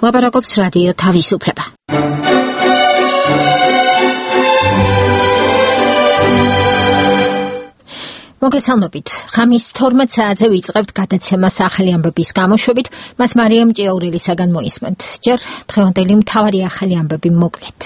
ლაპარაკობს რადიო თავისუფლება. მოგესალმებით. ხამის 12 საათზე ვიწყებთ გადაცემას ახალი ამბების გამოშვებით. მას მარიამ ჭიაურელისაგან მოისმენთ. ჯერ დღევანდელი მთავარი ახალი ამბები მოკლედ.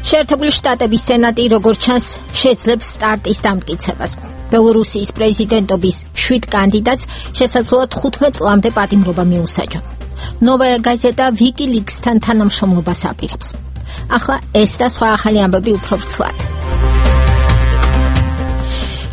შეერთებული შტატების სენატი, როგორც ჩანს, შეძლებს სტარტის დამტკიცებას. ბელორუსიის პრეზიდენტობის 7 კანდიდატს შესაძლოა 15 წლამდე პატიმრობა მიუსაჯონ. ნოვაია გაზეტა ვიკილიქსთან თანამშრომლობას აპირებს. ახლა ეს და სხვა ახალი ამბები უფრო ვრცლად.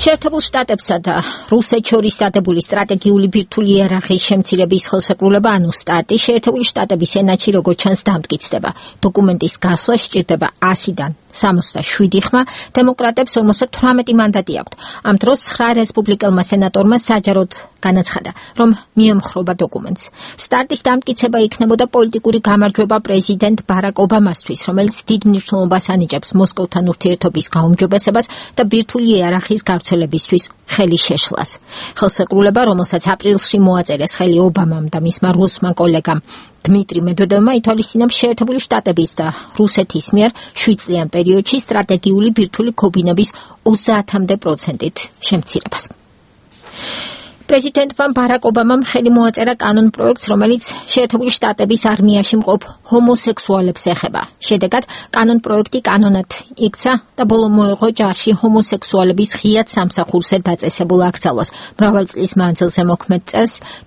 შეერთებულ შტატებსა და რუსეთს შორის დადებული სტრატეგიული ბირთვული იარაღის შემცირების ხელშეკრულება, ანუ სტარტი, შეერთებული შტატების სენატში როგორც ჩანს დამტკიცდება. დოკუმენტის გასვლა სჭირდება 100-დან 67 ხმა, დემოკრატებს 58 მანდატი აქვთ. ამ დროს 9 რესპუბლიკელმა სენატორმა საჯაროდ განაცხადა, რომ მიემხრობა დოკუმენტს. სტარტის დამტკიცება იქნებოდა პოლიტიკური გამარჯვება პრეზიდენტ ბარაკ ობამასთვის, რომელიც დიდ მნიშვნელობას ანიჭებს მოსკოვთან ურთიერთობის გაუმჯობესებას და ბირთვული იარაღის გავრცელებისთვის ხელის შეშლას. ხელშეკრულება, რომელსაც აპრილში მოაწერეს ხელი ობამამ და მისმა რუსმა კოლეგამ დმიტრი მედვედევმა, ითვალისწინებს შეერთებული შტატების და რუსეთის მიერ 7 წლიან პერიოდში სტრატეგიული ბირთვული ქობინების 30% შემცირებას. პრეზიდენტმა ბარაკ ობამამ ხელი მოაწერა კანონ პროექტს, რომელიც შეერთებული შტატების არმიაში მყოფ ჰომოსექსუალებს ეხება. შედეგად, კანონ პროექტი კანონად იქცა და ბოლო მოეღო ჯარში ჰომოსექსუალების ღიად სამსახურზე დაწესებულ აკრძალვას. მრავალი წლის მანძილზე მოქმედ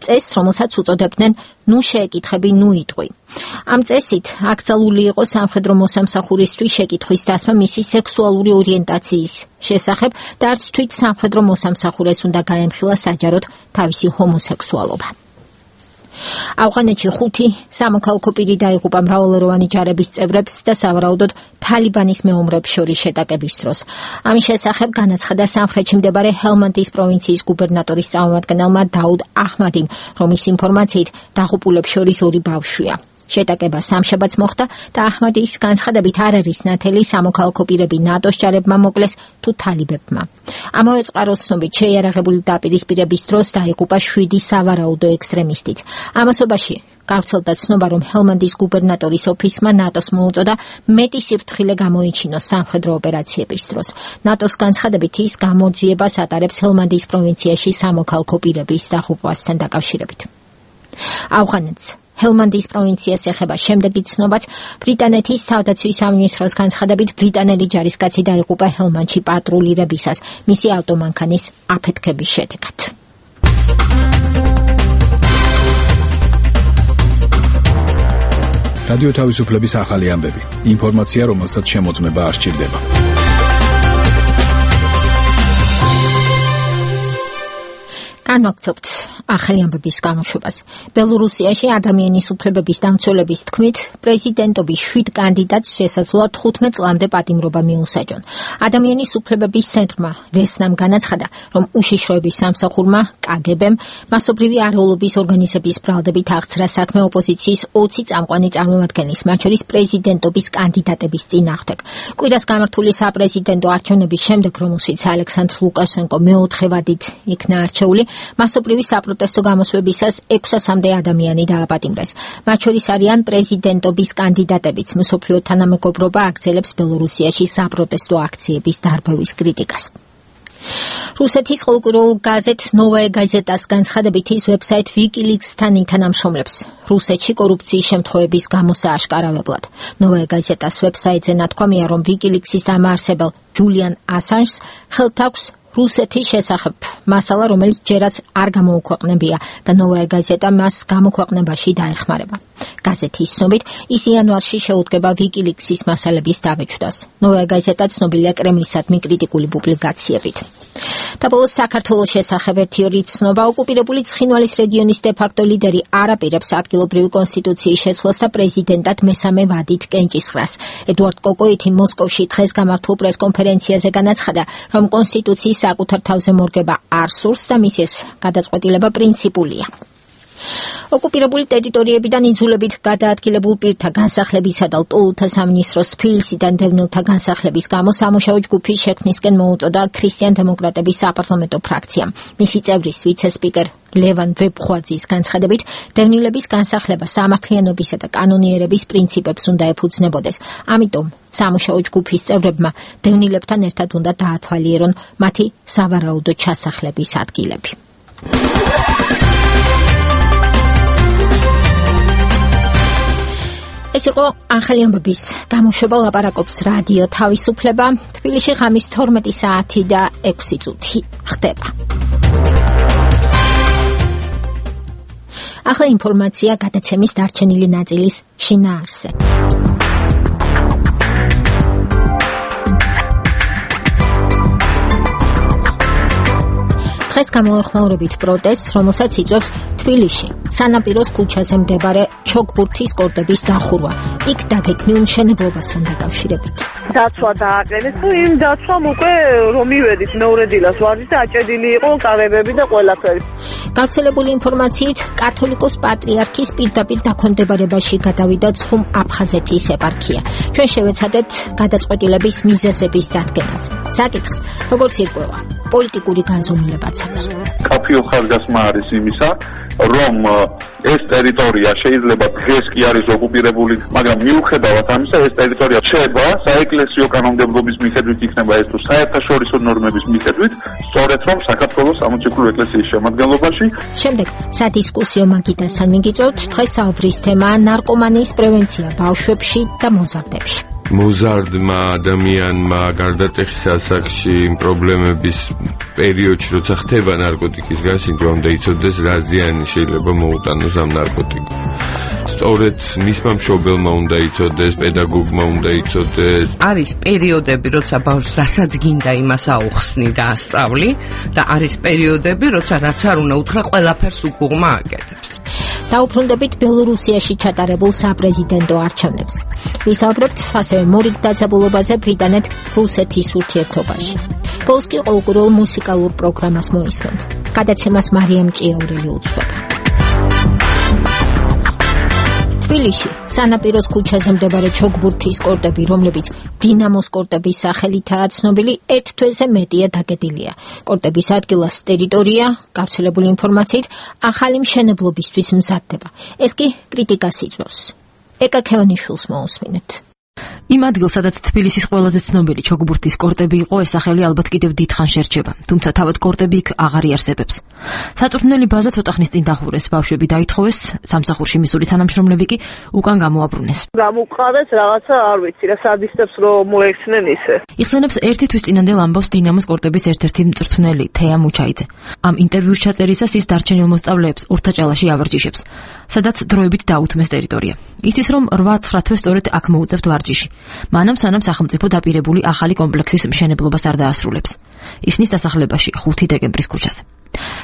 წესს, რომელსაც უწოდებდნენ ნუ შეეკითხები, ნუ იტყვი. ამ წესით აკრძალული იყო სამხედრო მოსამსახურისთვის შეკითხვის დასმა მისი სექსუალური ორიენტაციის შესახებ და არც თვით სამხედრო მოსამსახურეს უნდა გაემხილა საჯაროდ თავისი ჰომოსექსუალობა. ავღანეთში 5 სამოქალაქო პირი დაიღუპა მრავალეროვანი ჯარების წევრებს და სავარაუდოდ თალიბანის მეომრებს შორის შეტაკების დროს. ამის შესახებ განაცხადა სამხრეთში მდებარე ჰელმანდის პროვინციის გუბერნატორის წარმომადგენელმა დაუდ აჰმადიმ, რომლის ინფორმაციით დაღუპულებს შორის 2 ბავშვია. შეტაკება სამშაბათს მოხდა და აჰმადის განცხადებით არ არის ნათელი სამოქალაქო პირები ნატოს ჯარებმა მოკლეს თუ თალიბებმა. ამავე წყაროს ცნობით შეიარაღებული დაპირისპირების დროს დაიღუპა 7 სავარაუდო ექსტრემისტიც. ამასობაში გავრცელდა ცნობა, რომ ჰელმანდის გუბერნატორის ოფისმა ნატოს მოუწოდა მეტი სიფრთხილე გამოიჩინოს სამხედრო ოპერაციების დროს. ნატოს განცხადებით ის გამოძიებას ატარებს ჰელმანდის პროვინციაში სამოქალაქო პირების დაღუპვასთან დაკავშირებით. ავღანეთს ჰელმანდის პროვინციას ეხება შემდეგი ცნობაც. ბრიტანეთის თავდაცვის სამინისტროს განცხადებით ბრიტანელი ჯარისკაცი დაიღუპა ჰელმანდში პატრულირებისას მისი ავტომანქანის აფეთქების შედეგად. რადიო თავისუფლების ახალი ამბები. ინფორმაცია, რომელსაც შემოწმება არ სჭირდება. განვაგრძობთ ახალი ამბების გამოშვებას. ბელორუსიაში ადამიანის უფლებების დამცველების თქმით, პრეზიდენტობის 7 კანდიდატს შესაძლოა 15 წლამდე პატიმრობა მიუსაჯონ. ადამიანის უფლებების ცენტრმა ვესნამ განაცხადა, რომ უშიშროების სამსახურმა კგბ-მ მასობრივი არეულობის ორგანიზების ბრალდებით აღძრა საქმე ოპოზიციის 20 წამყვანი წარმომადგენლის, მათ შორის პრეზიდენტობის კანდიდატების წინააღმდეგ. კვირას გამართული საპრეზიდენტო არჩევნების შემდეგ, რომელშიც ალექსანდრ ლუკაშენკო მეოთხე ვადით იქნა არჩეული, მასობრივი საპროტესტო გამოსვლებისას 600-მდე ადამიანი დააპატიმრეს. მათ შორის არიან პრეზიდენტობის კანდიდატებიც. მსოფლიო თანამეგობრობა აგრძელებს ბელორუსიაში საპროტესტო აქციების დარბევის κρიტიკას. რუსეთის ყოველკვირეულ გაზეთ ნოვაია გაზეტას განცხადებით ის ვებსაიტ ვიკილიქსთან ითანამშრომლებს რუსეთში კორუფციის შემთხვევების გამოსააშკარავებლად. ნოვაია გაზეტას ვებსაიტზე ნათქვამია, რომ ვიკილიქსის დამაარსებელ ჯულიან ასანჟს ხელთ აქვს რუსეთის შესახებ მასალა, რომელიც ჯერაც არ გამოუქვეყნებია და ნოვაია გაზეტა მას გამოქვეყნებაში დაეხმარება. გაზეთის ცნობით, ის იანვარში შეუდგება ვიკილიქსის მასალების დაბეჭდას. ნოვაია გაზეტა ცნობილია კრემლისადმი კრიტიკული პუბლიკაციებით. და ბოლოს საქართველოს შესახებ ერთი ცნობა. ოკუპირებული ცხინვალის რეგიონის დე-ფაქტო ლიდერი არ აპირებს ადგილობრივი კონსტიტუციის შეცვლას და პრეზიდენტად მესამე ვადით კენჭისყრას. ედუარდ კოკოიტი მოსკოვში დღეს გამართულ პრესკონფერენციაზე განაცხადა, რომ კონსტიტუციის საკუთარ თავზე მორგება არ სურს და მის ეს გადაწყვეტილება პრინციპულია. ოკუპირებული ტერიტორიებიდან იძულებით გადაადგილებულ პირთა განსახლებისა და ლტოლთა სამინისტროს თბილისიდან დევნილთა განსახლების გამო სამუშაო ჯგუფის შექმნისკენ მოუწოდა ქრისტიან-დემოკრატების საპარლამენტო ფრაქციამ. მისი წევრის ვიცე-სპიკერ ლევან ვეფხვაძის განცხადებით, დევნილების განსახლება სამართლიანობისა და კანონიერების პრინციპებს უნდა ეფუძნებოდეს. ამიტომ სამუშაო ჯგუფის წევრებმა დევნილებთან ერთად უნდა დაათვალიერონ მათი სავარაუდო ჩასახლების ადგილები. ეს იყო ახალი ამბების გამოშვება ლაპარაკობს რადიო თავისუფლება. თბილისში ღამის 12 საათი და 6 წუთი ხდება. ახლა ინფორმაცია გადაცემის დარჩენილი ნაწილის შინაარსზე. დღეს გამოეხმაურებით პროტესტს, რომელსაც იწვევს თბილისში, სანაპიროს ქუჩაზე მდებარე ჩოგბურთის კორტების დახურვა. იქ დაგექმნილ მშენებლობასთან დაკავშირებით. დაცვა დააყენეს და იმ დაცვამ უკვე რომ მივედით მეორე დილას ვარჯიშს და აჭედილი იყო კარებები და ყველაფერი. გავრცელებული ინფორმაციით, კათოლიკოს პატრიარქის პირდაპირ დაქვემდებარებაში გადავიდა ცხუმ აფხაზეთის ეპარქია. ჩვენ შევეცადეთ გადაწყვეტილების მიზეზების დადგენაზე. საკითხს, როგორც ირკვევა, პოლიტიკური განზომილებაც აქვს. კაფეო ხარჯასმა არის იმისა, რომ ეს ტერიტორია შეიძლება დღეს კი არის ოკუპირებული, მაგრამ მიუხედავად ამისა, ეს ტერიტორია რჩება საეკლესიო კანონმდებლობის მიხედვით იქნება ეს თუ საერთაშორისო ნორმების მიხედვით, სწორედ რომ საქართველოს სამოციქულო ეკლესიის შემადგენლობაში. შემდეგ სადისკუსიო მაგიდასთან მიგიწევთ დღეს საუბრის თემა ნარკომანიის პრევენცია ბავშვებში და მოზარდებში. მოზარდმა ადამიანმა გარდატეხის ასაკში პრობლემების პერიოდში როცა ხდება ნარკოტიკის გასინჯვა უნდა იცოდეს რა ზიანი შეიძლება მოუტანოს ამ ნარკოტიკს. სწორედ მისმა მშობელმა უნდა იცოდეს, პედაგოგმა უნდა იცოდეს. არის პერიოდები, როცა ბავშვს რასაც გინდა იმას აუხსნი და ასწავლი და არის პერიოდები, როცა რაც არ უნდა უთხრა ყველაფერს უკუღმა აკეთებს. დაუბრუნდებით ბელორუსიაში ჩატარებულ საპრეზიდენტო არჩევნებს. ვისაუბრებთ ასევე მორიგ დაძაბულობაზე ბრიტანეთ-რუსეთის ურთიერთობაში. ბოლოს კი ყოველკვირეულ მუსიკალურ პროგრამას მოისმენთ. გადაცემას მარიამ ჭიაურელი უძღვება. თბილისში სანაპიროს ქუჩაზე მდებარე ჩოგბურთის კორტები, რომლებიც დინამოს კორტების სახელითაა ცნობილი, ერთ თვეზე მეტია დაგედილია. კორტების ადგილას ტერიტორია, გავრცელებული ინფორმაციით, ახალი მშენებლობისთვის მზადდება. ეს კი კრიტიკას იწვევს. ეკა ქევანიშვილს მოусმინეთ. იმ ადგილ, სადაც თბილისის ყველაზე ცნობილი ჩოგბურთის კორტები იყო, ეს სახელი ალბათ კიდევ დიდხანს შერჩება, თუმცა თავად კორტები იქ აღარ იარსებებს. საწვრთნელი ბაზა ცოტა ხნის წინ დახურეს, ბავშვები დაითხოვეს, სამსახურში მისული თანამშრომლები კი უკან გამოაბრუნეს. გამოყარეს რაღაცა არ ვიცი, რა სადისტებს რომ მოექცნენ ისე. იხსენებს ერთი თვის წინანდელ ამბავს დინამოს კორტების ერთ-ერთი მწვრთნელი, თეა მუჩაიძე. ამ ინტერვიუს ჩაწერისას ის დარჩენილ მოსწავლეებს ორთაჭალაში ავარჯიშებს, სადაც დროებით დაუთმეს ტერიტორია. იცის, რომ 8-9 თვეს სწორედ აქ მოუწევთ ვარჯიში. მანამ სანამ სახელმწიფო დაპირებული ახალი კომპლექსის მშენებლობას არ დაასრულებს. ისნის დასახლებაში 5 დეკემბრის ქუჩაზე.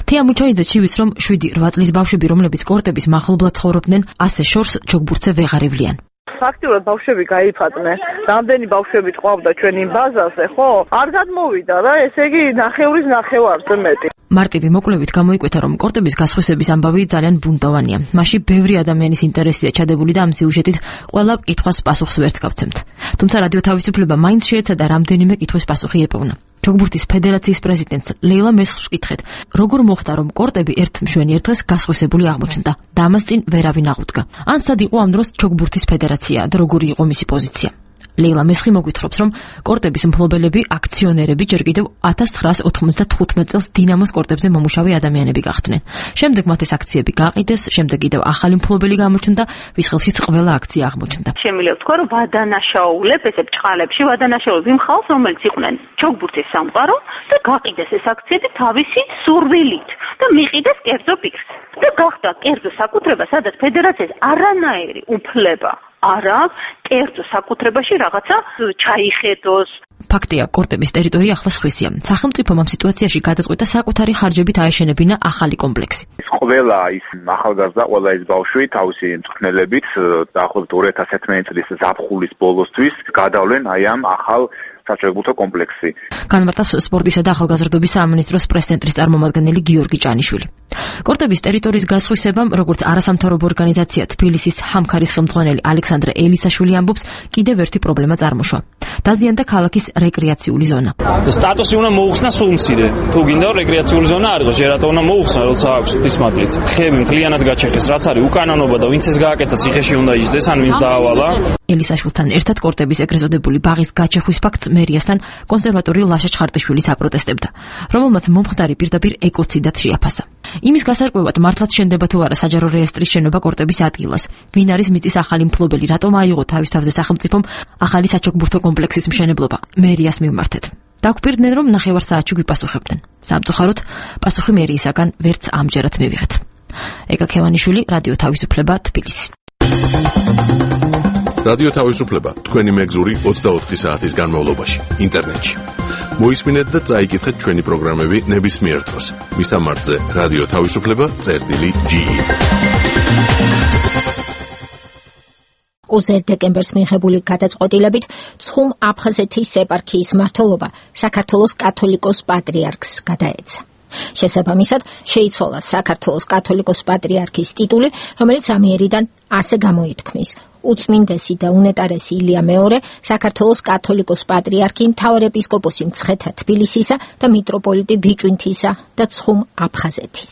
თეა მუჩაიძე ცივის, რომ 7-8 წლის ბავშვები, რომლებიც კორტების მახლობლად ცხოვრობდნენ, ასე შორს ჩოგბურთზე ვეღარ ევლიან. ფაქტიურად ბავშვები გაიფატნენ. რამდენი ბავშვები ყავდა ჩვენ იმ ბაზაზე, ხო? არ გადმოვიდა რა, ესე იგი ნახევრის ნახევარზე მეტი. მარტივი მოკვლევით გამოიკვეთა, რომ კორტების გასხვისების ამბავი ძალიან ბუნტოვანია. მასში ბევრი ადამიანის ინტერესია ჩადებული და ამ სიუჟეტით ყველა კითხვას პასუხს ვერც გავცემთ. თუმცა რადიო თავისუფლება მაინც შეეცადა რამდენიმე კითხვის პასუხი ეპოვნა. ჩოგბურთის ფედერაციის პრეზიდენტს ლეილა მესხს ვკითხეთ, როგორ მოხდა, რომ კორტები ერთ მშვენიერ დღეს გასხვისებული აღმოჩნდა და ამას წინ ვერავინ აღუდგა. ან სად იყო ამ დროს ჩოგბურთის ფედერაცია და როგორი იყო მისი პოზიცია. ლეილა მესხი მოგვითხრობს, რომ კორტების მფლობელები, აქციონერები ჯერ კიდევ 1995 წელს დინამოს კორტებზე მომუშავე ადამიანები გახდნენ. შემდეგ მათ ეს აქციები გაყიდეს, შემდეგ კიდევ ახალი მფლობელი გამოჩნდა, ვის ხელშიც ყველა აქცია აღმოჩნდა. შემიძლია ვთქვა, რომ ვადანაშაულებ, ესე ბჭყალებში ვადანაშაულებ იმ ხალხს, რომელიც იყვნენ ჩოგბურთის სამყარო და გაყიდეს ეს აქციები თავისი სურვილით და მიყიდეს კერძო პირს. და გახდა კერძო საკუთრება, სადაც ფედერაციას არანაირი უფლება არ აქვს კერძო საკუთრებაში რაღაცა ჩაიხედოს. ფაქტია, კორტების ტერიტორია ახლა სხვისია. სახელმწიფომ ამ სიტუაციაში გადაწყვიტა საკუთარი ხარჯებით აეშენებინა ახალი კომპლექსი. ყველა ის ახალგაზრდა, ყველა ის ბავშვი თავისი მწვრთნელებით დაახლოებით 2011 წლის ზაფხულის ბოლოსთვის გადავლენ აი ამ ახალ საჩოგბურთო კომპლექსში. განმარტავს სპორტისა და ახალგაზრდობის სამინისტროს პრეს-ცენტრის წარმომადგენელი გიორგი ჭანიშვილი. კორტების ტერიტორიის გასხვისებამ, როგორც არასამთავრობო ორგანიზაცია თბილისის ჰამქარის ხელმძღვანელი ალექსანდრე ელისაშვილი ამბობს, კიდევ ერთი პრობლემა წარმოშვა. დაზიანდა ქალაქის რეკრეაციული ზონა. სტატუსი უნდა მოუხსნა სულ მცირე. თუ გინდა რეკრეაციული ზონა არ იყოს, ჯერატო უნდა მოუხსნა, როცა აქვს დისმაგლით. ხეები მთლიანად გაჩეხეს, რაც არის უკანონობა და ვინც ეს გააკეთა ციხეში უნდა ისდეს, ან ვინც დაავალა. ელისაშვილთან ერთად კორტების ეგრეთ წოდებული ბაღის გაჩეხვის ფაქტს მერიასთან კონსერვატორი ლაშა ჩხარტიშვილი აპროტესტებდა, რომელმაც მომხდარი პირდაპირ ეკოციდად შეაფასა. იმის გასარკვევად მართლაც შენდება თუ არა საჯარო რეესტრის შენობა კორტების ადგილას, ვინ არის მიწის ახალი მფლობელი, რატომ აიღო თავის თავზე სახელმწიფომ ახალი საჩოგბურთო კომპლექსის მშენებლობა, მერიას მივმართეთ. დაგვპირდნენ, რომ ნახევარ საათში გვიპასუხებდნენ. სამწუხაროდ, პასუხი მერიისაგან ვერც ამჯერად მივიღეთ. ეკა ქევანიშვილი, რადიო თავისუფლება, თბილისი. რადიო თავისუფლება თქვენი მეგზური 24 საათის განმავლობაში ინტერნეტში. მოისმინეთ და წაიკითხეთ ჩვენი პროგრამები ნებისმიერ დროს. მისამართზე რადიო თავისუფლება.ge. 20 დეკემბერს მიღებული გადაწყვეტილებით ცხუმ აფხაზეთის ეპარქიის მმართველობა საქართველოს კათოლიკოს პატრიარქს გადაეცა. შესაბამისად, შეიცვალა საქართველოს კათოლიკოს პატრიარქის ტიტული, რომელიც ამიერიდან ასე გამოითქმის: უწმინდესი და უნეტარესი ილია მეორე, საქართველოს კათოლიკოს პატრიარქი, მთავარეპისკოპოსი მცხეთა თბილისისა და მიტროპოლიტი ბიჭვინთისა და ცხუმ აფხაზეთის.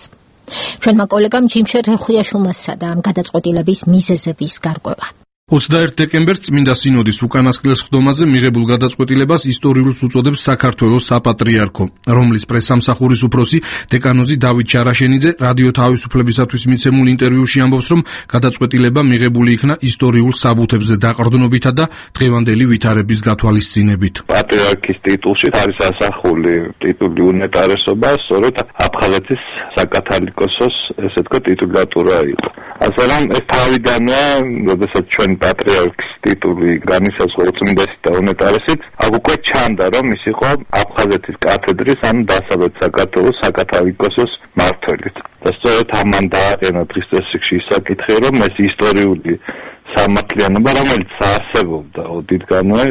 ჩვენმა კოლეგამ ჯიმშერ რეხუიაშვილმა სცადა ამ გადაწყვეტილების მიზეზების გარკვევა. 21 დეკემბერს წმინდა სინოდის უკანასკნელ სხდომაზე მიღებულ გადაწყვეტილებას ისტორიულს უწოდებს საქართველოს საპატრიარქო, რომლის პრესამსახურის უფროსი დეკანოზი დავით ჩარაშენიძე რადიო თავისუფლებისათვის მიცემულ ინტერვიუში ამბობს, რომ გადაწყვეტილება მიღებული იქნა ისტორიულ საბუთებზე დაყრდნობითა და დღევანდელი ვითარების გათვალისწინებით. პატრიარქის ტიტულში არის ასახული ტიტული უნეტარესობა, სწორედ აფხაზეთის საკათალიკოსოს ესე თქვა ტიტულატურა იყო. ასე რომ ეს თავიდანვე, როდესაც ჩვენ პატრიარქის ტიტული განისაზღვრა უწმინდესი და უნეტარესით, აქ უკვე ჩანდა, რომ ის იყო აფხაზეთის კათედრის, ანუ დასავლეთ საქართველოს საკათალიკოსოს მმართველიც. და სწორედ ამან დააყენა დღის წესრიგში საკითხი, რომ ეს ისტორიული სამართლიანობა, რომელიც არსებობდა ოდითგანვე,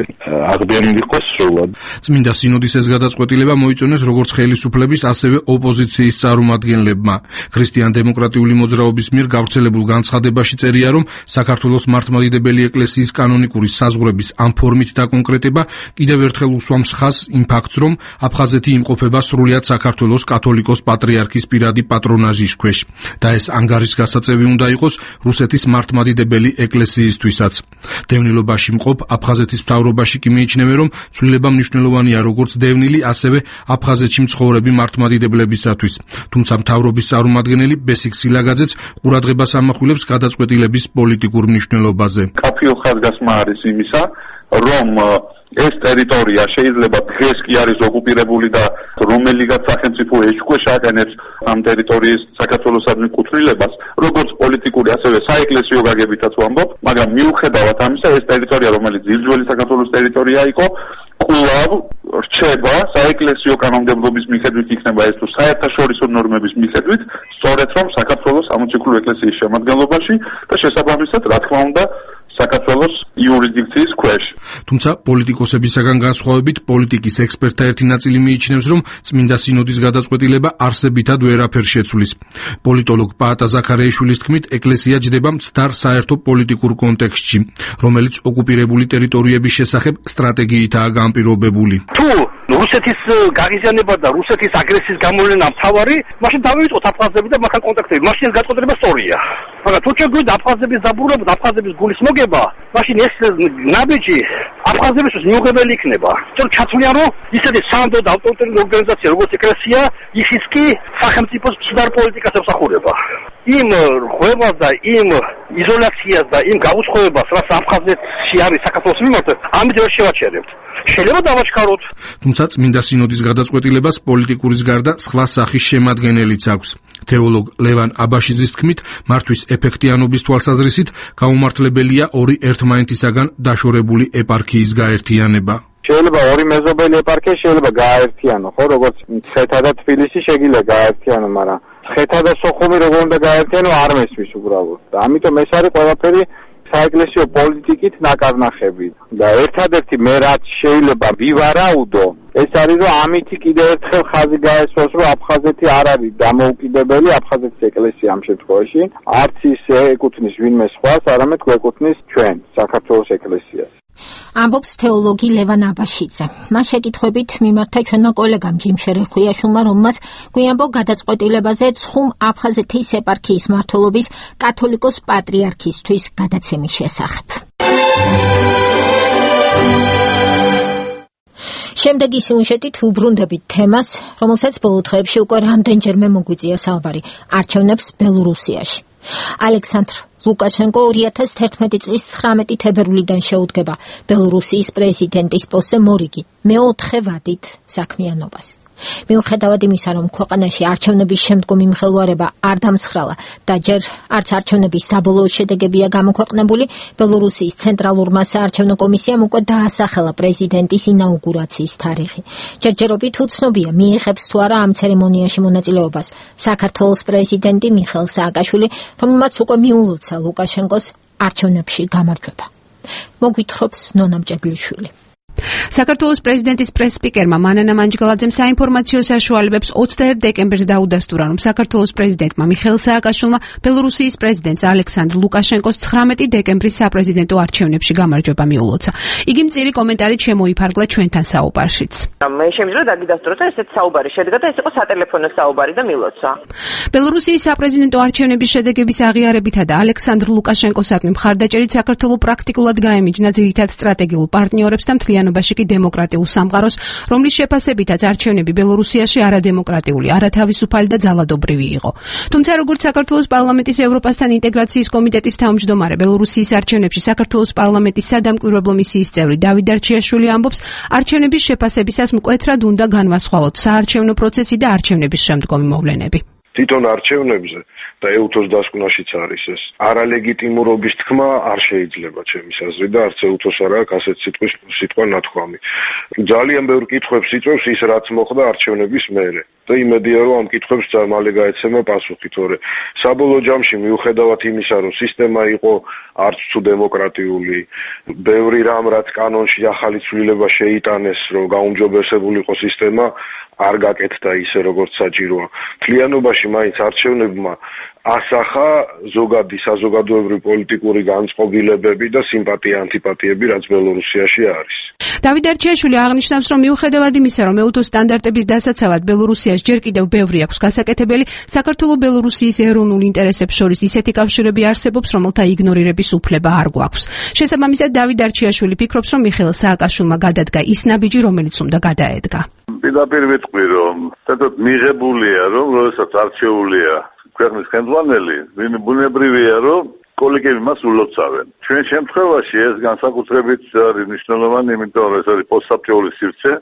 აღდგენილი იყო სრულად. წმინდა სინოდის ეს გადაწყვეტილება მოიწონეს როგორც ხელისუფლების, ასევე ოპოზიციის წარმომადგენლებმა. ქრისტიან-დემოკრატიული მოძრაობის მიერ გავრცელებულ განცხადებაში წერია, რომ საქართველოს მართლმადიდებელი ეკლესიის კანონიკური საზღვრების ამ ფორმით დაკონკრეტება კიდევ ერთხელ უსვამს ხაზს იმ ფაქტს, რომ აფხაზეთი იმყოფება სრულიად საქართველოს კათოლიკოს პატრიარქის პირადი პატრონაჟის ქვეშ და ეს ანგარის გასაწევი უნდა იყოს რუსეთის მართლმადიდებელი ეკლესიისთვისაც. დევნილობაში მყოფ აფხაზეთის მთავრობაში კი მიიჩნევენ, რომ ცვლილება მნიშვნელოვანია როგორც დევნილი, ასევე აფხაზეთში მცხოვრები მართლმადიდებლებისათვის. თუმცა მთავრობის წარმომადგენელი ბესიკ სილაგაძეც ყურადღებას ამახვილებს გადაწყვეტილების პოლიტიკურ მნიშვნელობაზე. კაფეო ხაზგასმა არის იმისა, რომ ეს ტერიტორია შეიძლება დღეს კი არის ოკუპირებული და რომელიღაც სახელმწიფო ეჭქვეშ აყენებს ამ ტერიტორიის საქართველოსადმი კუთვნილებას, როგორც პოლიტიკური, ასევე საეკლესიო გაგებითაც ვამბობ, მაგრამ მიუხედავად ამისა, ეს ტერიტორია, რომელიც ძირძველი საქართველოს ტერიტორია იყო, კვლავ რჩება საეკლესიო კანონმდებლობის მიხედვით, იქნება ეს თუ საერთაშორისო ნორმების მიხედვით, სწორედ რომ საქართველოს სამოციქულო ეკლესიის შემადგენლობაში და შესაბამისად, რა თქმა უნდა, საქართველოს იურისდიქციის ქვეშ. თუმცა პოლიტიკოსებისაგან განსხვავებით პოლიტიკის ექსპერტთა ერთი ნაწილი მიიჩნევს, რომ წმინდა სინოდის გადაწყვეტილება არსებითად ვერაფერ შეცვლის. პოლიტოლოგ პაატა ზაქარიაშვილის თქმით, ეკლესია ჯდება მცდარ საერთო პოლიტიკურ კონტექსტში, რომელიც ოკუპირებული ტერიტორიების შესახებ სტრატეგიითაა განპირობებული. თუ რუსეთის გაღიზიანება და რუსეთის აგრესიის გამოვლენა მთავარი, მაშინ დავიწყოთ აფხაზები და მათთან კონტაქტები. მაშინ ეს გადაწყვეტილება სწორია. მაგრამ თუ შეგვიძლია აფხაზების დაბრუნება და აფხაზების გულის მოგება, მაშინ ეს ნაბიჯი აფხაზებისთვის მიუღებელი იქნება. თორემ ჩათვლია, რომ ისეთი სანდო და ავტორიტეტული ორგანიზაცია, როგორც ეკლესია, ისიც კი სახელმწიფოს მცდარ პოლიტიკას ემსახურება. იმ ღვევას და იმ იზოლაციას და იმ გაუცხოებას, რაც აფხაზეთში არის საქართველოს მიმართ, ამით ვერ შევაჩერებთ. შეიძლება დავაჩქაროთ. თუმცა წმინდა სინოდის გადაწყვეტილებას პოლიტიკურის გარდა სხვა სახის შემადგენელიც აქვს. თეოლოგ ლევან აბაშიძის თქმით, მართვის ეფექტიანობის თვალსაზრისით გაუმართლებელია ორი ერთმანეთისაგან დაშორებული ეპარქიის გაერთიანება. შეიძლება ორი მეზობელი ეპარქია შეიძლება გააერთიანო, ხო, როგორც მცხეთა და თბილისი შეგიძლია გააერთიანო, მაგრამ მცხეთა და სოხუმი როგორ უნდა გააერთიანო არ მესმის უბრალოდ. და ამიტომ ეს არის ყველაფერი საეკლესიო პოლიტიკით ნაკარნახები და ერთადერთი მე რაც შეიძლება ვივარაუდო, ეს არის რომ ამითი კიდევ ერთხელ ხაზი გაესვას რომ აფხაზეთი არ არის დამოუკიდებელი, აფხაზეთის ეკლესია ამ შემთხვევაში არც ის ეკუთვნის ვინმე სხვას, არამედ გვეკუთვნის ჩვენ საქართველოს ეკლესიას. ამბობს თეოლოგი ლევან აბაშიძე. მან შეკითხვებით მიმართა ჩვენმა კოლეგამ ჯიმ შერეხუიაშვილმა, რომელმაც გვიანბო გადაწყვეტილებაზე ცხუმ აფხაზეთის ეპარქიის მმართველობის კათოლიკოს პატრიარქისთვის გადაცემის შესახებ. შემდეგი სიუჟეტით უბრუნდებით თემას, რომელსაც ბოლო დღეებში უკვე რამდენჯერმე მოგვიწია საუბარი, არჩევნებს ბელორუსიაში. ალექსანდრ ლუკაშენკო 2011 წლის 19 თებერვლიდან შეუდგება ბელორუსიის პრეზიდენტის პოსტზე მორიგი მეოთხე ვადით საქმიანობას. მიუხედავად იმისა, რომ ქვეყანაში არჩევნების შემდგომი მღელვარება არ დამცხრალა და ჯერ არც არჩევნების საბოლოო შედეგებია გამოქვეყნებული, ბელორუსიის ცენტრალურმა საარჩევნო კომისიამ უკვე დაასახელა პრეზიდენტის ინაუგურაციის თარიღი. ჯერჯერობით უცნობია, მიიღებს თუ არა ამ ცერემონიაში მონაწილეობას საქართველოს პრეზიდენტი მიხეილ სააკაშვილი, რომელმაც უკვე მიულოცა ლუკაშენკოს არჩევნებში გამარჯვება. მოგვითხრობს ნონა მჭედლიშვილი. საქართველოს პრეზიდენტის პრეს-სპიკერმა მანანა მანჯგალაძემ საინფორმაციო საშუალებებს 21 დეკემბერს დაუდასტურა, რომ საქართველოს პრეზიდენტმა მიხეილ სააკაშვილმა ბელორუსიის პრეზიდენტს ალექსანდრ ლუკაშენკოს 19 დეკემბრის საპრეზიდენტო არჩევნებში გამარჯვება მიულოცა. იგი მწირი კომენტარით შემოიფარგლა ჩვენთან საუბარშიც. მე შემიძლია დაგიდასტუროთ, რომ ესეც საუბარი შედგა და ეს იყო სატელეფონო საუბარი და მილოცა. ბელორუსიის საპრეზიდენტო არჩევნების შედეგების აღიარებითა და ალექსანდრ ლუკაშენკოსადმი მხარდაჭერით საქართველო პრაქტიკულად გაემიჯნა ძირითად სტრატეგიულ პარტნიორებს და მთლიანობაში კი დემოკრატიულ სამყაროს, რომლის შეფასებითაც არჩევნები ბელორუსიაში არადემოკრატიული, არათავისუფალი და ძალადობრივი იყო. თუმცა როგორც საქართველოს პარლამენტის ევროპასთან ინტეგრაციის კომიტეტის თავმჯდომარე, ბელორუსიის არჩევნებში საქართველოს პარლამენტის სადამკვირვებლო მისიის წევრი დავით დარჩიაშვილი ამბობს, არჩევნების შეფასებისას მკვეთრად უნდა განვასხვაოთ საარჩევნო პროცესი და არჩევნების შემდგომი მოვლენები. თვითონ არჩევნებზე და ეუთოს დასკვნაშიც არის ეს არალეგიტიმურობის თქმა არ შეიძლება ჩემის აზრით და არც ეუთოს არ აქვს ასეთ სიტყვა ნათქვამი. ძალიან ბევრ კითხვებს იწვევს ის, რაც მოხდა არჩევნების მერე და იმედია, რომ ამ კითხვებს მალე გაეცემა პასუხი, თორე საბოლოო ჯამში მიუხედავად იმისა, რომ სისტემა იყო არც თუ დემოკრატიული, ბევრი რამ რაც კანონში ახალი ცვლილება შეიტანეს, რომ გაუმჯობესებული იყო სისტემა, არ გაკეთდა ისე, როგორც საჭიროა. მთლიანობაში მაინც არჩევნებმა ასახა ზოგადი საზოგადოებრივი პოლიტიკური განწყობილებები და სიმპათია-ანტიპათიები, რაც ბელორუსიაში არის. დავით დარჩიაშვილი აღნიშნავს, რომ მიუხედავად იმისა, რომ ეუთოს სტანდარტების დასაცავად ბელორუსიაში ჯერ კიდევ ბევრი აქვს გასაკეთებელი, საქართველო-ბელორუსიის ეროვნულ ინტერესებს შორის ისეთი კავშირები არსებობს, რომელთა იგნორირების უფლება არ გვაქვს. შესაბამისად, დავით დარჩიაშვილი ფიქრობს, რომ მიხეილ სააკაშვილმა გადადგა ის ნაბიჯი, რომელიც უნდა გადაედგა. პირდაპირ ვიტყვი, რომ თეთრ მიღებულია, რომ როდესაც არჩეულია ქვეყნის ხელმძღვანელი, ბუნებრივია, რომ კოლეგები მას ულოცავენ. ჩვენ შემთხვევაში ეს განსაკუთრებით არის მნიშვნელოვანი, იმიტომ რომ ეს არის პოსტსაბჭოური სივრცე,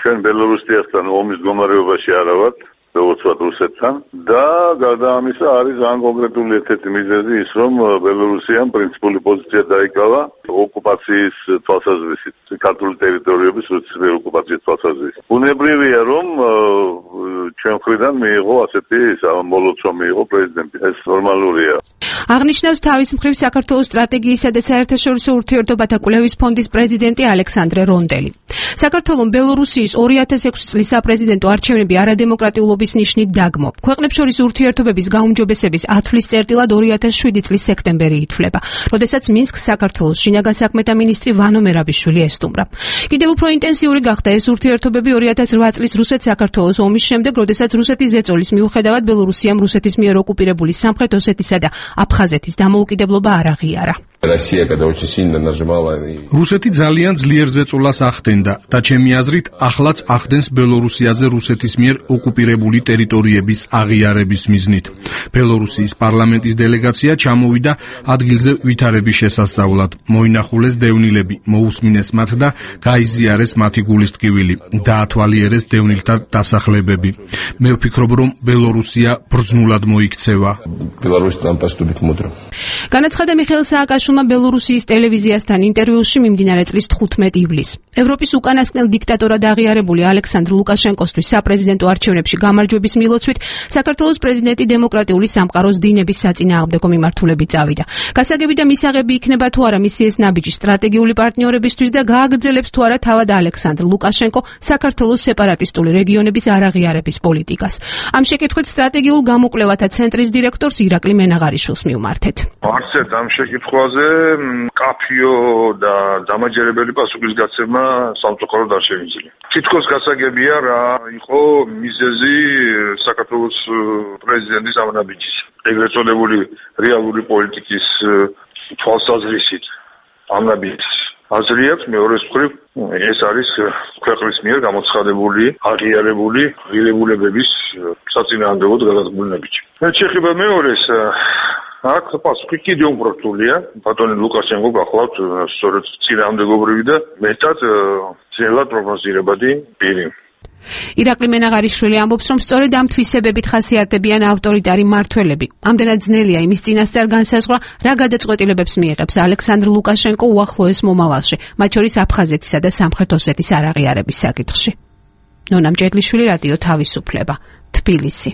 ჩვენ ბელორუსიასთან ომის მდგომარეობაში არა ვართ, როგორც ვართ რუსეთთან და გარდა ამისა არის ძალიან კონკრეტული ერთ-ერთი მიზეზი ის, რომ ბელორუსიამ პრინციპული პოზიცია დაიკავა ოკუპაციის თვალსაზრისით, ქართული ტერიტორიების რუსეთის მიერ ოკუპაციის თვალსაზრისით. ბუნებრივია, რომ ჩვენ მხრიდან მიიღო ასეთი მოლოცვა მიიღო პრეზიდენტი. ეს ნორმალურია. აღნიშნავს თავის მხრივ საქართველოს სტრატეგიისა და საერთაშორისო ურთიერთობათა კვლევის ფონდის პრეზიდენტი ალექსანდრე რონდელი. საქართველოს ბელორუსიის 2006 წლის საპრეზიდენტო არჩევნები არადემოკრატიულობის ნიშნით დაგმო. ქვეყნებს შორის ურთიერთობების გაუმჯობესების ათვლის წერტილად 2007 წლის სექტემბერი ითვლება, როდესაც მინსკს საქართველოს შინაგან საქმეთა მინისტრი ვანო მერაბიშვილი ესტუმრა. კიდევ უფრო ინტენსიური გახდა ეს ურთიერთობები 2008 წლის რუსეთ-საქართველოს ომის შემდეგ, როდესაც რუსეთის ზეწოლის მიუხედავად ბელორუსიამ რუსეთის მიერ ოკუპირებული სამხრეთ ოსეთისა და აფხაზეთის დამოუკიდებლობა არ აღიარა. რუსეთი ძალიან ძლიერ ზეწოლას ახდენდა და ჩემი აზრით ახლაც ახდენს ბელორუსიაზე რუსეთის მიერ ოკუპირებული ტერიტორიების აღიარების მიზნით. ბელორუსიის პარლამენტის დელეგაცია ჩამოვიდა ადგილზე ვითარების შესასწავლად, მოინახულეს დევნილები, მოусმინეს მათ და გაიზიარეს მათი გულის ტკივილი, დაათვალიერეს დევნილთა დასახლებები. მე ვფიქრობ, რომ ბელორუსია ბრძნულად მოიქცევა. განაცხადა მიხეილ სააკაშვილის სააკაშვილმა ბელორუსიის ტელევიზიასთან ინტერვიუში მიმდინარე წლის 15 ივლისს. ევროპის უკანასკნელ დიქტატორად აღიარებული ალექსანდრ ლუკაშენკოსთვის საპრეზიდენტო არჩევნებში გამარჯვების მილოცვით საქართველოს პრეზიდენტი დემოკრატიული სამყაროს დინების საწინააღმდეგო მიმართულებით წავიდა. გასაგები და მისაღები იქნება თუ არა მისი ეს ნაბიჯი სტრატეგიული პარტნიორებისთვის და გააგრძელებს თუ არა თავად ალექსანდრ ლუკაშენკო საქართველოს სეპარატისტული რეგიონების არაღიარების პოლიტიკას. ამ შეკითხვით სტრატეგიულ გამოკვლევათა ცენტრის დირექტორს ირაკლი მენაღარიშვილს მივმართეთ. არცერთ ამ შეკითხვაზე კაფიო და დამაჯერებელი პასუხის გაცემა სამწუხაროდ არ შემიძლია. თითქოს გასაგებია რა იყო მიზეზი საქართველოს პრეზიდენტის ამ ნაბიჯის. ეგრეთ წოდებული რეალური პოლიტიკის თვალსაზრისით ამ ნაბიჯს აზრიებს მეორე მხრივ ეს არის ქვეყნის მიერ გამოცხადებული აღიარებული ღირებულებების საწინააღმდეგოდ გადადგმული ნაბიჯი. შეეხება მეორეს აქ პასუხი კიდევ უფრო რთულია. ბატონი ლუკაშენკო გახლავთ სწორედ წინააღმდეგობრივი და მეტად ძნელად პროგნოზირებადი პირი. ირაკლი მენაღარიშვილი ამბობს, რომ სწორედ ამ თვისებებით ხასიათდებიან ავტორიტარი მმართველები. ამდენად ძნელია იმის წინასწარ განსაზღვრა, რა გადაწყვეტილებებს მიიღებს ალექსანდრ ლუკაშენკო უახლოეს მომავალში, მათ შორის აფხაზეთისა და სამხრეთ ოსეთის არაღიარების საკითხში. ნონა მჭედლიშვილი, რადიო თავისუფლება, თბილისი.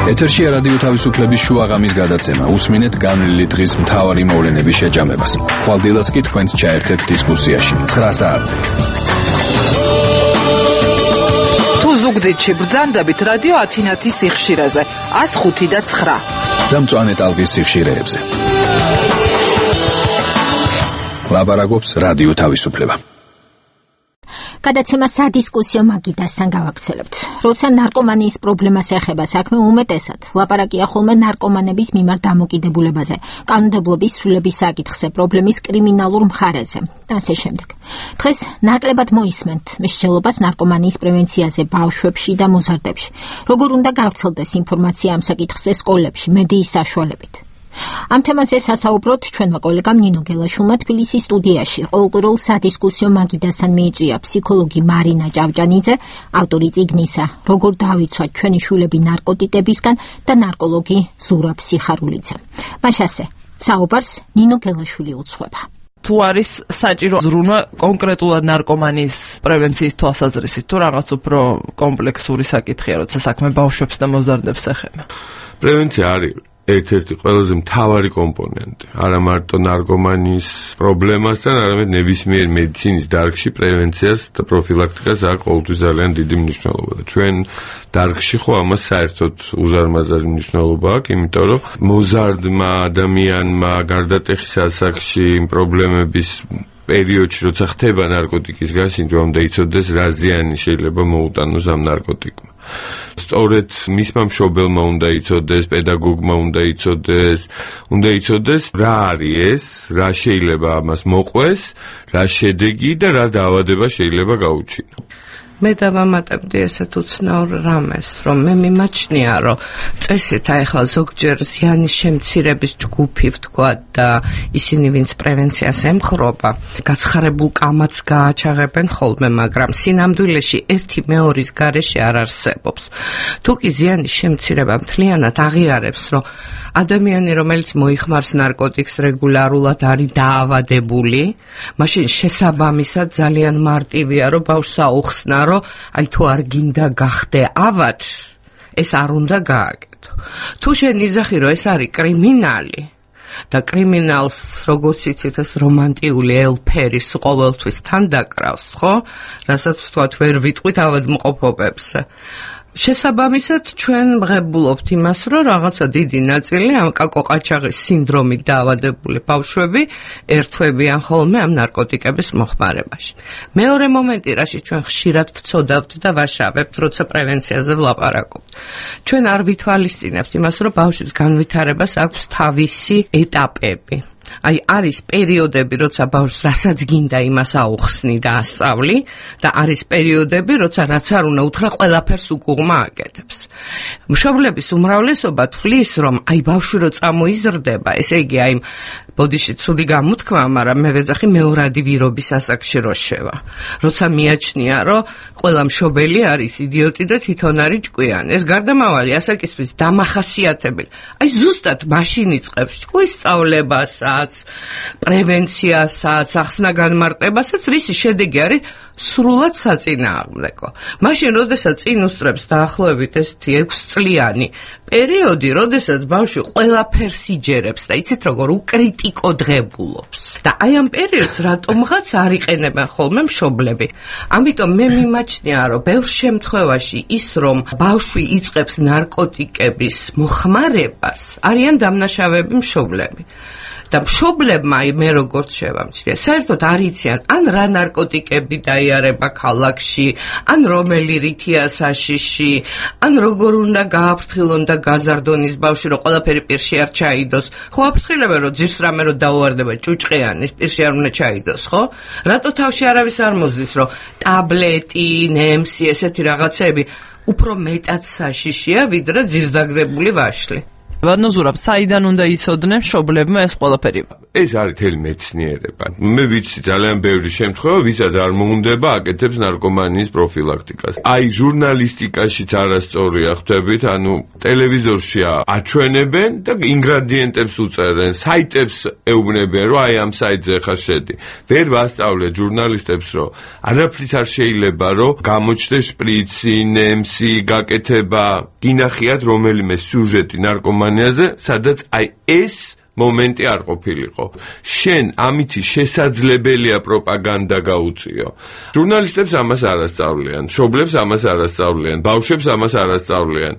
ეთერშია რადიო თავისუფლების შუაღამის გადაცემა. უსმინეთ განვლილი დღის მთავარი მოვლენების შეჯამებას. ხვალდილას კი თქვენს ჩაერთეთ დისკუსიაში 9 საათზე. თუ ზუგდიდში ბრძანდებით რადიო ათინათის სიხშირეზე 105 და 9 და მწვანე ტალღის სიხშირეებზე. ლაბარაკობს რადიო თავისუფლება. გადაცემა სადისკუსიო მაგიდასთან გავაგრძელებთ. როცა ნარკომანიის პრობლემას ეხება საქმე, უმეტესად ლაპარაკია ხოლმე ნარკომანების მიმართ დამოკიდებულებაზე, კანონმდებლობის სრულების საკითხზე, პრობლემის კრიმინალურ მხარეზე და ასე შემდეგ. დღეს ნაკლებად მოისმენთ მსჯელობას ნარკომანიის პრევენციაზე ბავშვებში და მოზარდებში. როგორ უნდა გავრცელდეს ინფორმაცია ამ საკითხზე სკოლებში, მედიის საშუალებით. ამ თემაზე სასაუბროთ ჩვენმა კოლეგამ ნინო გელაშვილმა თბილისის სტუდიაში. ყოველკვირეულ სადისკუსიო მაგიდასთან მიიწვია ფსიქოლოგი მარინა ჭავჭანიძე, ავტორი წიგნისა როგორ დავიცვათ ჩვენი შვილები ნარკოტიკებისგან და ნარკოლოგი ზურაბ სიხარულიძე. მაშასე საუბარს ნინო გელაშვილი უძღვება. თუ არის საჭირო ზრუნვა კონკრეტულად ნარკომანიის პრევენციის თვალსაზრისით, თუ რაღაც უფრო კომპლექსური საკითხია, როცა საქმე ბავშვებს და მოზარდებს ეხება. პრევენცია არის ერთ-ერთი ყველაზე მთავარი კომპონენტი. არა მარტო ნარკომანიის პრობლემასთან, არამედ ნებისმიერ მედიცინის დარგში პრევენციას და პროფილაქტიკას აქვს ყოველთვის ძალიან დიდი მნიშვნელობა. და ჩვენ დარგში ხო ამას საერთოდ უზარმაზარი მნიშვნელობა აქვს, იმიტომ რომ მოზარდმა ადამიანმა გარდატეხის ასაკში პრობლემების პერიოდში, როცა ხდება ნარკოტიკის გასინჯვა, უნდა იცოდეს, რა ზიანი შეიძლება მოუტანოს ამ ნარკოტიკმა. სწორედ მისმა მშობელმა უნდა იცოდეს, პედაგოგმა უნდა იცოდეს, რა არის ეს, რა შეიძლება ამას მოყვეს, რა შედეგი და რა დაავადება შეიძლება გაუჩინო. მე დავამატებდი ესეთ უცნაურ რამეს, რომ მე მიმაჩნია, რომ წესით ახლა ზოგჯერ ზიანის შემცირების ჯგუფი ვთქვა და ისინი ვინც პრევენციას ემხრობა, გაცხარებულ კამათს გააჩაღებენ ხოლმე, მაგრამ სინამდვილეში ერთი მეორის გარეშე არ არსებობს. თუ კი ზიანის შემცირება მთლიანად აღიარებს, რომ ადამიანი, რომელიც მოიხმარს ნარკოტიკს რეგულარულად არის დაავადებული, მაშინ შესაბამისად ძალიან მარტივია, რომ ბავშვს აუხსნა, რომ აი თუ არ გინდა გახდე ავად, ეს არ უნდა გააკეთო. თუ შენ იზახი, რომ ეს არის კრიმინალი და კრიმინალს, როგორც იცით, ეს რომანტიული ელფერის ყოველთვის თან დაკრავს, ხო? რასაც ვთქვათ, ვერ ვიტყვით ავადმყოფობებზე. შესაბამისად ჩვენ მღებულობთ იმას, რომ რაღაცა დიდი ნაწილი ამ კაკო-ყაჩაღის სინდრომით დაავადებული ბავშვები ერთვებიან ხოლმე ამ ნარკოტიკების მოხმარებაში. მეორე მომენტი, რაში ჩვენ ხშირად ვწოდავთ და ვაშავებთ, როცა პრევენციაზე ვლაპარაკობთ. ჩვენ არ ვითვალისწინებთ იმას, რომ ბავშვის განვითარებას აქვს თავისი ეტაპები. აი არის პერიოდები, როცა ბავშვს რასაც გინდა იმას აუხსნი და ასწავლი და არის პერიოდები, როცა რაც არ უნდა უთხრა ყველაფერს უკუღმა აკეთებს. მშობლების უმრავლესობა თვლის, რომ აი ბავშვი რო წამოიზრდება, ესე იგი აი ბოდიში ცუდი გამოთქვა, მაგრამ მე ვეძახი მეორადი ვირობის ასაკში რო შევა. როცა მიაჩნია, რომ ყველა მშობელი არის იდიოტი და თვითონ არის ჭკვიანი. ეს გარდამავალი ასაკისთვის დამახასიათებელი. აი ზუსტად მაშინ იწყებს ჭკუის სწავლებასაც, პრევენციასაც, ახსნა განმარტებასაც, რისი შედეგი არის სრულად საწინააღმდეგო. მაშინ, როდესაც წინ უსწრებს დაახლოებით ესეთი 6 წლიანი პერიოდი, როდესაც ბავშვი ყველაფერს იჯერებს და იცით როგორ უკრიტიკო დღებულობს. და აი ამ პერიოდს რატომღაც არ იყენებენ ხოლმე მშობლები. ამიტომ მე მიმაჩნია, რომ ბევრ შემთხვევაში ის, რომ ბავშვი იწყებს ნარკოტიკების მოხმარებას, არიან დამნაშავეები მშობლები. და მშობლებმა მე როგორც შევამჩნია, საერთოდ არ იციან ან რა ნარკოტიკები დაიარება ქალაქში, ან რომელი რითია საშიში, ან როგორ უნდა გააფრთხილონ და გაზარდონ ის ბავშვი, რომ ყველაფერი პირში არ ჩაიდოს. ხო აფრთხილებენ, რომ ძირს რამე რო დაუვარდება ჭუჭყიანის პირში არ უნდა ჩაიდოს, ხო? რატო თავში არავის არ მოძლის, რომ ტაბლეტი, ნემსი, ესეთი რაღაცები უფრო მეტად საშიშია, ვიდრე ძირს დაგდებული ვაშლი. ვადნოზურაბ, საიდან უნდა იცოდნენ მშობლებმა ეს ყველაფერი? ეს არის თელი მეცნიერება. მე ვიცი ძალიან ბევრი შემთხვევა, ვისაც არ მოუნდება, აკეთებს ნარკომანიის პროფილაქტიკას. აი, ჟურნალისტიკაშიც არასწორია, ხვდებით, ანუ ტელევიზორში აჩვენებენ და ინგრედიენტებს უწერენ, საიტებს ეუბნებიან, რომ აი ამ საიტზე ხარ შედი. ვერ ვასწავლეთ ჟურნალისტებს, რომ არაფრით არ შეიძლება, რომ გამოჩნდეს შპრიცი, ნემსი, გაკეთება, გინახიათ რომელიმე სიუჟეტი ნარკომანიაზე, სადაც აი ეს მომენტი არ ყოფილიყო. შენ ამითი შესაძლებელია პროპაგანდა გაუწიო. ჟურნალისტებს ამას არ ასწავლიან, მშობლებს ამას არ ასწავლიან, ბავშვებს ამას არ ასწავლიან.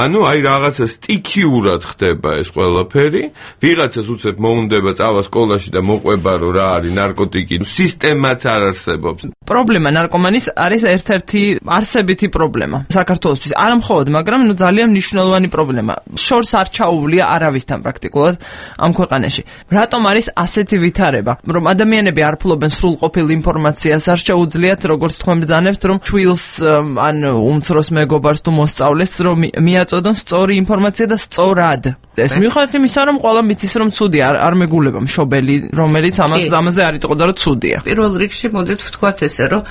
ანუ აი რაღაცა სტიქიურად ხდება ეს ყველაფერი, ვიღაცას უცებ მოუნდება წავა სკოლაში და მოყვება რომ რა არის ნარკოტიკი, სისტემაც არ არსებობს. პრობლემა ნარკომანის არის ერთ-ერთი არსებითი პრობლემა საქართველოსთვის. არა მხოლოდ, მაგრამ ძალიან მნიშვნელოვანი პრობლემა. შორს არ ჩაუვლია არავისთან პრაქტიკულად ამ ქვეყანაში. რატომ არის ასეთი ვითარება, რომ ადამიანები არ ფლობენ სრულყოფილ ინფორმაციას, არ შეუძლიათ როგორც თქვენ ბრძანებთ, რომ ჩვილს ან უმცროს მეგობარს თუ მოსწავლეს, რომ მიაწოდონ სწორი ინფორმაცია და სწორად. ეს მიუხედავად იმისა, რომ ყველა მიცის, რომ ცუდია, არ მეგულება მშობელი, რომელიც ამაზე არ იტყოდა, რომ ცუდია. პირველ რიგში მოდით ვთქვათ ესე, რომ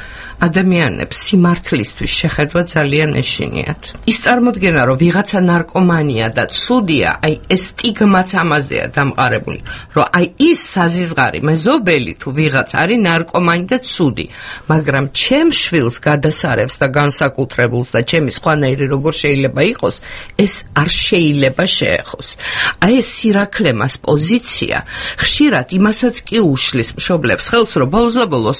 ადამიანებს სიმართლისთვის შეხედვა ძალიან ეშინიათ. ის წარმოდგენა, რომ ვიღაცა ნარკომანია და ცუდია, აი ეს სტიგმაც ამაზეა დამყარებული, რომ აი ის საზიზღარი მეზობელი თუ ვიღაც არის ნარკომანი და ცუდი, მაგრამ ჩემ შვილს გადასარევს და განსაკუთრებულს და ჩემი სხვანაირი როგორ შეიძლება იყოს, ეს არ შეიძლება შეეხოს. აი ეს სირაქლემას პოზიცია ხშირად იმასაც კი უშლის მშობლებს ხელს, რომ ბოლოს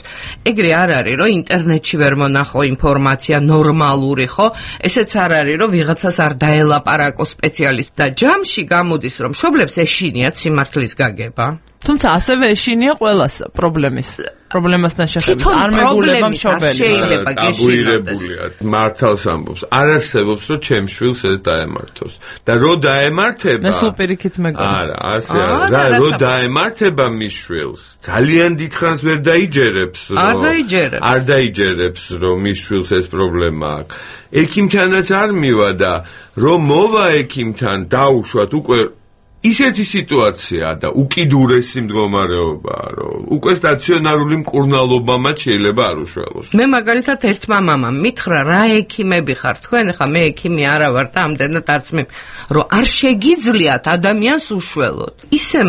ეგრე არ არის, რომ ინტერნეტში ვერ მონახო ინფორმაცია ნორმალური, ხო? ესეც არ არის, რომ ვიღაცას არ დაელაპარაკო სპეციალისტი და ჯამში გამოდის, რომ მშობლებს ეშინიათ სიმართლის გაგება. თუმცა ასევე ეშინია ყველას პრობლემასთან შეხებებით. არ მეგულება მშობელი. შეიძლება გეშინოდეს. მართალს ამბობს. არ არსებობს, რომ ჩემ შვილს ეს დაემართოს. და რო დაემართება. მე სულ პირიქით მეგონა. არა, ასე არა. რო დაემართება მის შვილს, ძალიან დიდხანს ვერ დაიჯერებს, რომ არ დაიჯერებს, რომ მის შვილს ეს პრობლემა აქვს. ექიმთანაც არ მივა და რომ მოვა ექიმთან დაუშვათ უკვე ისეთი სიტუაცია და უკიდურესი მდგომარეობაა, რომ უკვე სტაციონარული მკურნალობამაც შეიძლება არ უშველოს. მე მაგალითად ერთმა მამამ მითხრა, რა ექიმები ხარ თქვენ, ხა მე ექიმი არა ვარ და ამდენად არც მე, რომ არ შეგიძლიათ ადამიანს უშველოთ. ისე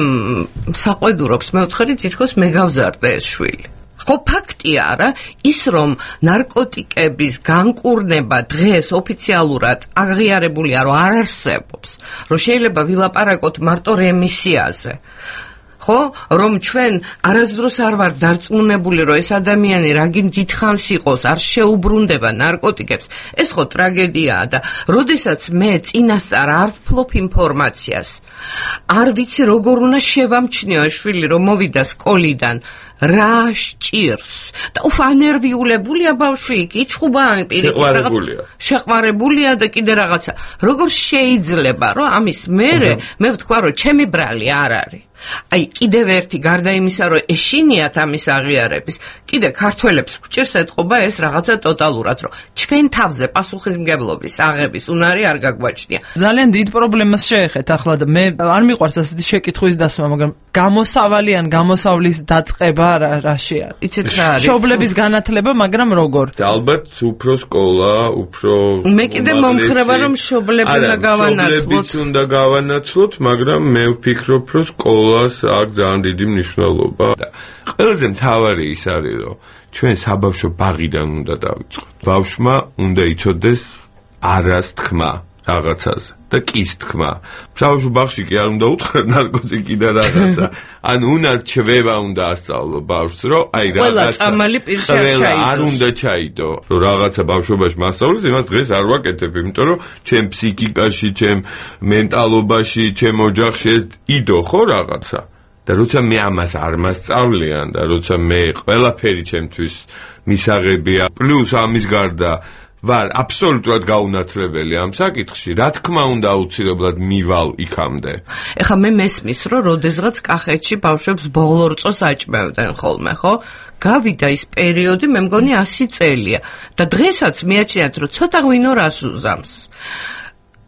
საყვედურობს მეოთხე თითქოს მე გავზარდე ეს შვილი. ხო ფაქტია რა, ის რომ ნარკოტიკების განკურნება დღეს ოფიციალურად აღიარებულია, რომ არ არსებობს, რომ შეიძლება ვილაპარაკოთ მარტო რემისიაზე. ხო, რომ ჩვენ არასდროს არ ვართ დარწმუნებული, რომ ეს ადამიანი რაგიმ დიდხანს იყოს, არ შეუბრუნდება ნარკოტიკებს, ეს ხო ტრაგედიაა და როდესაც მე წინასწარ არ ვფლობ ინფორმაციას, არ ვიცი როგორ უნდა შევამჩნიო შვილი, რომ მოვიდა სკოლიდან, რა სჭირს და ufანერვიულებულია ბავშვი, იჩხუბა პირიქით რაღაც შეყვარებულია და კიდე რაღაცა. როგორ შეიძლება, რომ ამის მერე მე ვთქვა, რომ ჩემი ბრალი არ არის. აი კიდევ ერთი გარდა იმისა, რომ ეშინიათ ამის აღიარების, კიდე ქართველებს გვჭირს ეთყობა ეს რაღაცა ტოტალურად, რომ ჩვენ თავზე პასუხისმგებლობის აღების უნარი არ გაგვაჩნია. ძალიან დიდ პრობლემას შეეხეთ ახლა და მე არ მიყვარს ასეთი შეკითხვის დასმა, მაგრამ გამოსავალი ან გამოსავლის დაწყება რაში არის? იცით რა არის? მშობლების განათლება, მაგრამ როგორ? ალბათ უფრო სკოლა, უფრო მე კიდე მომხრება რომ მშობლები უნდა გავანაცვლოთ. მშობლებიც უნდა გავანაცვლოთ, მაგრამ მე ვფიქრობ, რომ სკოლას აქვს ძალიან დიდი მნიშვნელობა. ყველაზე მთავარი ის არის, რომ ჩვენ საბავშვო ბაღიდან უნდა დავიწყოთ. ბავშვმა უნდა იცოდეს არას თქმა რაღაცაზე და კის თქმა. საბავშვო ბაღში კი არ უნდა უთხრა ნარკოტიკი და რაღაცა. ან უნარჩვევა უნდა ასწავლო ბავშვს, რომ აი რაღაცა არ უნდა ჩაიდო. რომ რაღაცა ბავშვობაში მასწავლოს, იმას დღეს არ ვაკეთებ, იმიტომ რომ ჩემ ფსიქიკაში, ჩემ მენტალობაში, ჩემ ოჯახში ეს იდო ხო რაღაცა. და როცა მე ამას არ მასწავლიან და როცა მე ყველაფერი ჩემთვის მისაღებია, პლუს ამის გარდა ვარ აბსოლუტურად გაუნაცვლებელი ამ საკითხში, რა თქმა უნდა აუცილებლად მივალ იქამდე. ეხლა მე მესმის, რომ როდესღაც კახეთში ბავშვებს ბოლო რწოს აჭმევდნენ ხოლმე, ხო? გავიდა ის პერიოდი, მე მგონი 100 წელია და დღესაც მიაჩნიათ, რომ ცოტა ღვინო რას უზამს.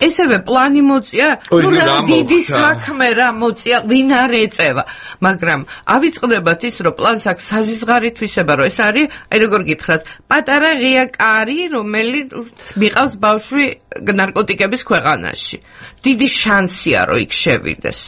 ესევე პლანი მოწია, რა დიდი საქმე რა მოწია, ვინ არ ეწევა, მაგრამ ავიწყდებათ ის, რომ პლანს აქვს საზიზღარით ვისება, რომ ეს არის, აი როგორ გითხრათ, პატარა ღია კარი, რომელიც მიყავს ბავშვი ნარკოტიკების ქვეყანაში. დიდი შანსია, რომ იქ შევიდეს.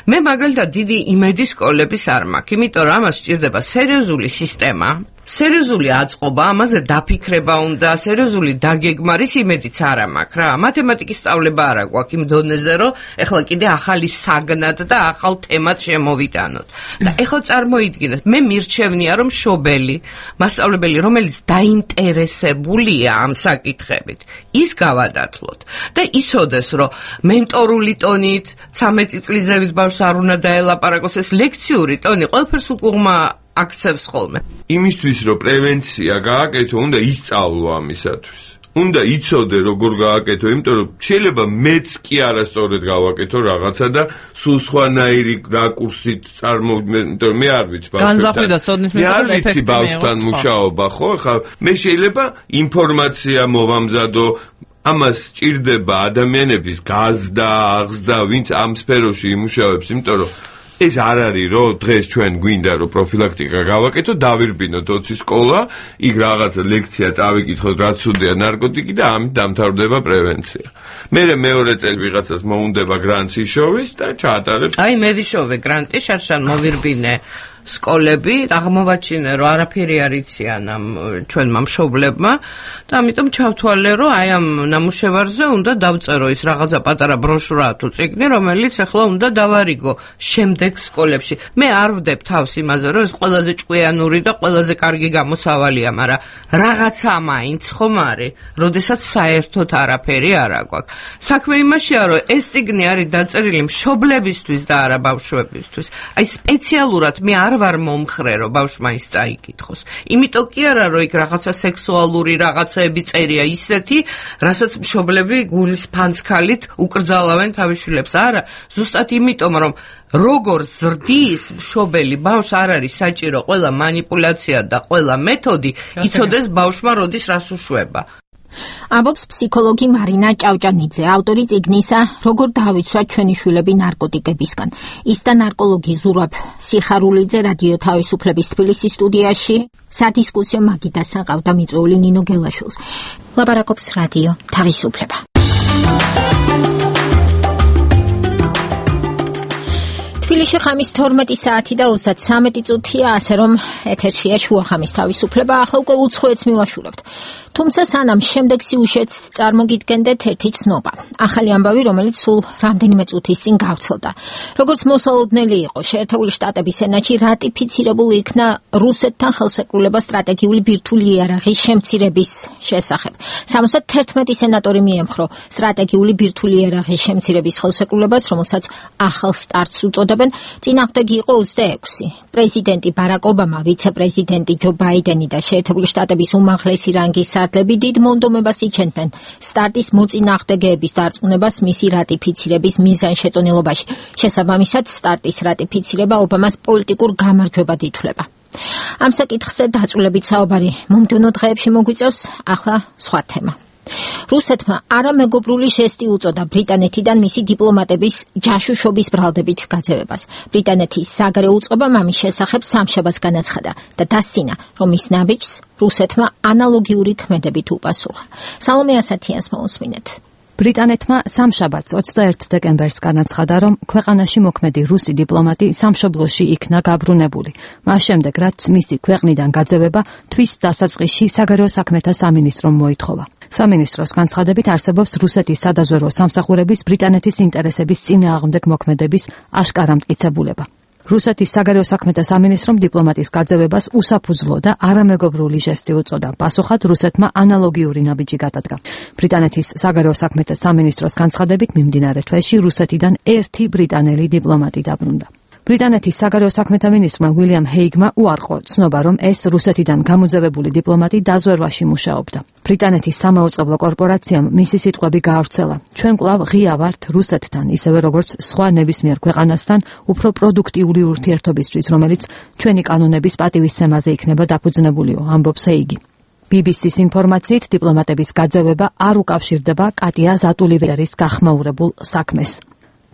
მე მაგალითად დიდი იმედი სკოლების არ მაქვს, იმიტომ რომ ამას სჭირდება სერიოზული სისტემა, სერიოზული აწყობა, ამაზე დაფიქრება უნდა, სერიოზული დაგეგმარის იმედიც არა მაქვს რა. მათემატიკის სწავლება არა გვაქვს იმ დონეზე, რომ ეხლა კიდე ახალი საგნად და ახალ თემად შემოვიტანოთ. და ეხლა წარმოიდგინეთ, მე მირჩევნია, რომ მშობელი, მასწავლებელი, რომელიც დაინტერესებულია ამ საკითხებით, ის გავადათლოთ და იცოდეს, რომ მენტორული ტონით 13 წლის ზევით ბავშვს არ უნდა დაელაპარაკოს, ეს ლექციური ტონი ყველაფერს უკუღმა აქცევს ხოლმე. იმისთვის რომ პრევენცია გააკეთო, უნდა ისწავლო ამისათვის. უნდა იცოდე როგორ გააკეთო, იმიტომ რომ შეიძლება მეც კი არასწორად გავაკეთო რაღაცა და სულ სხვანაირი რაკურსით წარმოვიდგინე, მე არ ვიცი ბავშვთან. მე არ ვიცი ბავშვთან მუშაობა, ხო? ხა მე შეიძლება ინფორმაცია მოვამზადო, ამას სჭირდება ადამიანების გაზდა, აღზდა, ვინც ამ სფეროში იმუშავებს, იმიტომ რომ ეს არ არის, რომ დღეს ჩვენ გვინდა რომ პროფილაქტიკა გავაკეთო, დავირბინოთ 20 სკოლა, იქ რაღაცა ლექცია წავიკითხოთ, რაც უდია ნარკოტიკი და ამით დამთავრდება პრევენცია. მერე მეორე წელი ვიღაცას მოუნდება გრანტს იშოვის და ჩაატარებს. აი მე ვიშოვე გრანტი, შარშან მოვირბინე სკოლები, აღმოვაჩინე, რომ არაფერი არ იციან ამ ჩვენმა მშობლებმა და ამიტომ ჩავთვალე, რომ აი ამ ნამუშევარზე უნდა დავწერო ის რაღაცა პატარა ბროშურა თუ წიგნი, რომელიც ახლა უნდა დავარიგო შემდეგ სკოლებში. მე არ ვდებ თავს იმაზე, რომ ეს ყველაზე ჭკვიანური და ყველაზე კარგი გამოსავალია, მაგრამ რაღაცა მაინც ხომ არის, როდესაც საერთოდ არაფერი არ აქვს. საქმე იმაშია, რომ ეს წიგნი არის დაწერილი მშობლებისთვის და არა ბავშვებისთვის. აი სპეციალურად მე არ ვარ მომხრე, რომ ბავშვმა ის წაიკითხოს. იმიტომ კი არა, რომ იქ რაღაცა სექსუალური რაღაცეები წერია ისეთი, რასაც მშობლები გულის ფანცქალით უკრძალავენ თავის შვილებს. არა, ზუსტად იმიტომ, რომ როგორ ზრდის მშობელი ბავშვს არ არის საჭირო ყველა მანიპულაცია და ყველა მეთოდი იცოდეს ბავშვმა როდის რას უშვება. ამბობს ფსიქოლოგი მარინა ჭავჭანიძე, ავტორი წიგნისა როგორ დავიცვათ ჩვენი შვილები ნარკოტიკებისგან. ის და ნარკოლოგი ზურაბ სიხარულიძე რადიო თავისუფლების თბილისის სტუდიაში სადისკუსიო მაგიდასთან ყავდა მიწვეული ნინო გელაშვილს. ლაპარაკობს რადიო თავისუფლება. თბილისში ხამის 12 საათი და 33 წუთია, ასე რომ ეთერშია შუახამის თავისუფლება, ახლა უკვე უცხოეთს მივაშურებთ. თუმცა სანამ შემდეგ სიუჟეტს წარმოგიდგენდეთ ერთი ცნობა. ახალი ამბავი, რომელიც სულ რამდენიმე წუთის წინ გავრცელდა. როგორც მოსალოდნელი იყო, შეერთებული შტატების სენატში რატიფიცირებული იქნა რუსეთთან ხელშეკრულება სტრატეგიული ბირთვული იარაღის შემცირების შესახებ. 71 სენატორი მიემხრო სტრატეგიული ბირთვული იარაღის შემცირების ხელშეკრულებას, რომელსაც ახალ სტარტს უწოდებენ აკეთებენ, წინააღმდეგი იყო 26. პრეზიდენტი ბარაკ ობამა, ვიცე-პრეზიდენტი ჯო ბაიდენი და შეერთებული შტატების უმაღლესი რანგის სარდლები დიდ მონდომებას იჩენდნენ სტარტის მოწინააღმდეგეების დარწმუნებას მისი რატიფიცირების მიზანშეწონილობაში. შესაბამისად, სტარტის რატიფიცირება ობამას პოლიტიკურ გამარჯვებად ითვლება. ამ საკითხზე დაწვრილებით საუბარი მომდევნო დღეებში მოგვიწევს, ახლა სხვა თემა. რუსეთმა არამეგობრული ჟესტი უწოდა ბრიტანეთიდან მისი დიპლომატების ჯაშუშობის ბრალდებით გაძევებას. ბრიტანეთის საგარეო უწყობამ ამის შესახებ სამშაბათს განაცხადა და დასცინა, რომ ის ნაბიჯს რუსეთმა ანალოგიური ქმედებით უპასუხა. სალომე ასათიანს მოусმინეთ. ბრიტანეთმა სამშაბათს 21 დეკემბერს განაცხადა, რომ ქვეყანაში მოქმედი რუსი დიპლომატი სამშობლოში იქნა გაბრუნებული. მას შემდეგ, რაც მისი ქვეყნიდან გაძევება თვის დასაწყისში საგარეო საქმეთა სამინისტრომ მოითხოვა. სამინისტროს განცხადებით არსებობს რუსეთის სადაზვერვო სამსახურების ბრიტანეთის ინტერესების წინააღმდეგ მოქმედების აშკარა მტკიცებულება. რუსეთის საგარეო საქმეთა სამინისტრომ დიპლომატის გაძევებას უსაფუძვლო და არამეგობრული ჟესტი უწოდა. პასუხად რუსეთმა ანალოგიური ნაბიჯი გადადგა. ბრიტანეთის საგარეო საქმეთა სამინისტროს განცხადებით მიმდინარე თვეში რუსეთიდან ერთი ბრიტანელი დიპლომატი დაბრუნდა. ბრიტანეთის საგარეო საქმეთა მინისტრმა უილიამ ჰეიგმა უარყო ცნობა, რომ ეს რუსეთიდან გამოძევებული დიპლომატი დაზვერვაში მუშაობდა. ბრიტანეთის სამაუწყებლო კორპორაციამ მისი სიტყვები გაავრცელა. ჩვენ კვლავ ღია ვართ რუსეთთან, ისევე როგორც სხვა ნებისმიერ ქვეყანასთან, უფრო პროდუქტიული ურთიერთობისთვის, რომელიც ჩვენი კანონების პატივისცემაზე იქნება დაფუძნებულიო, ამბობს ჰეიგი. BBC-ს ინფორმაციით, დიპლომატების გაძევება არ უკავშირდება კატია ზატულივერის გახმაურებულ საქმეს.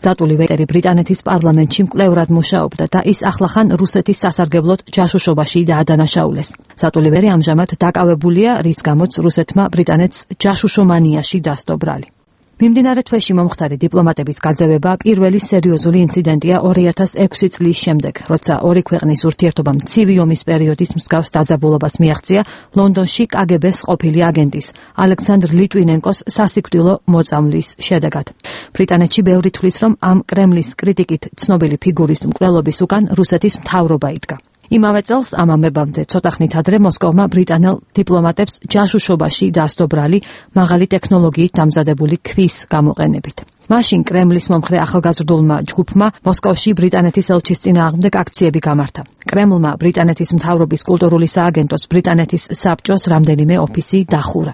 ზატულივერი ბრიტანეთის პარლამენტში მკვლევრად მუშაობდა და ის ახლახან რუსეთის სასარგებლოდ ჯაშუშობაში დაადანაშაულეს. ზატულივერი ამჟამად დაკავებულია, რის გამოც რუსეთმა ბრიტანეთს ჯაშუშომანიაში დასდო ბრალი. მიმდინარე თვეში მომხდარი დიპლომატების გაძევება პირველი სერიოზული ინციდენტია 2006 წლის შემდეგ, როცა ორი ქვეყნის ურთიერთობამ ცივი ომის პერიოდის მსგავს დაძაბულობას მიაღწია ლონდონში KGB-ს ყოფილი აგენტის ალექსანდრ ლიტვინენკოს სასიკვდილო მოწამვლის შედეგად. ბრიტანეთში ბევრი თვლის, რომ ამ კრემლის კრიტიკით ცნობილი ფიგურის მკვლელობის უკან რუსეთის მთავრობა იდგა. იმავე წელს ამ ამბებამდე ცოტა ხნით ადრე მოსკოვმა ბრიტანელ დიპლომატებს ჯაშუშობაში დასდო ბრალი მაღალი ტექნოლოგიით დამზადებული ქვის გამოყენებით. მაშინ კრემლის მომხრე ახალგაზრდულმა ჯგუფმა მოსკოვში ბრიტანეთის ელჩის წინააღმდეგ აქციები გამართა. კრემლმა ბრიტანეთის მთავრობის კულტურული სააგენტოს ბრიტანეთის საბჭოს რამდენიმე ოფისი დახურა.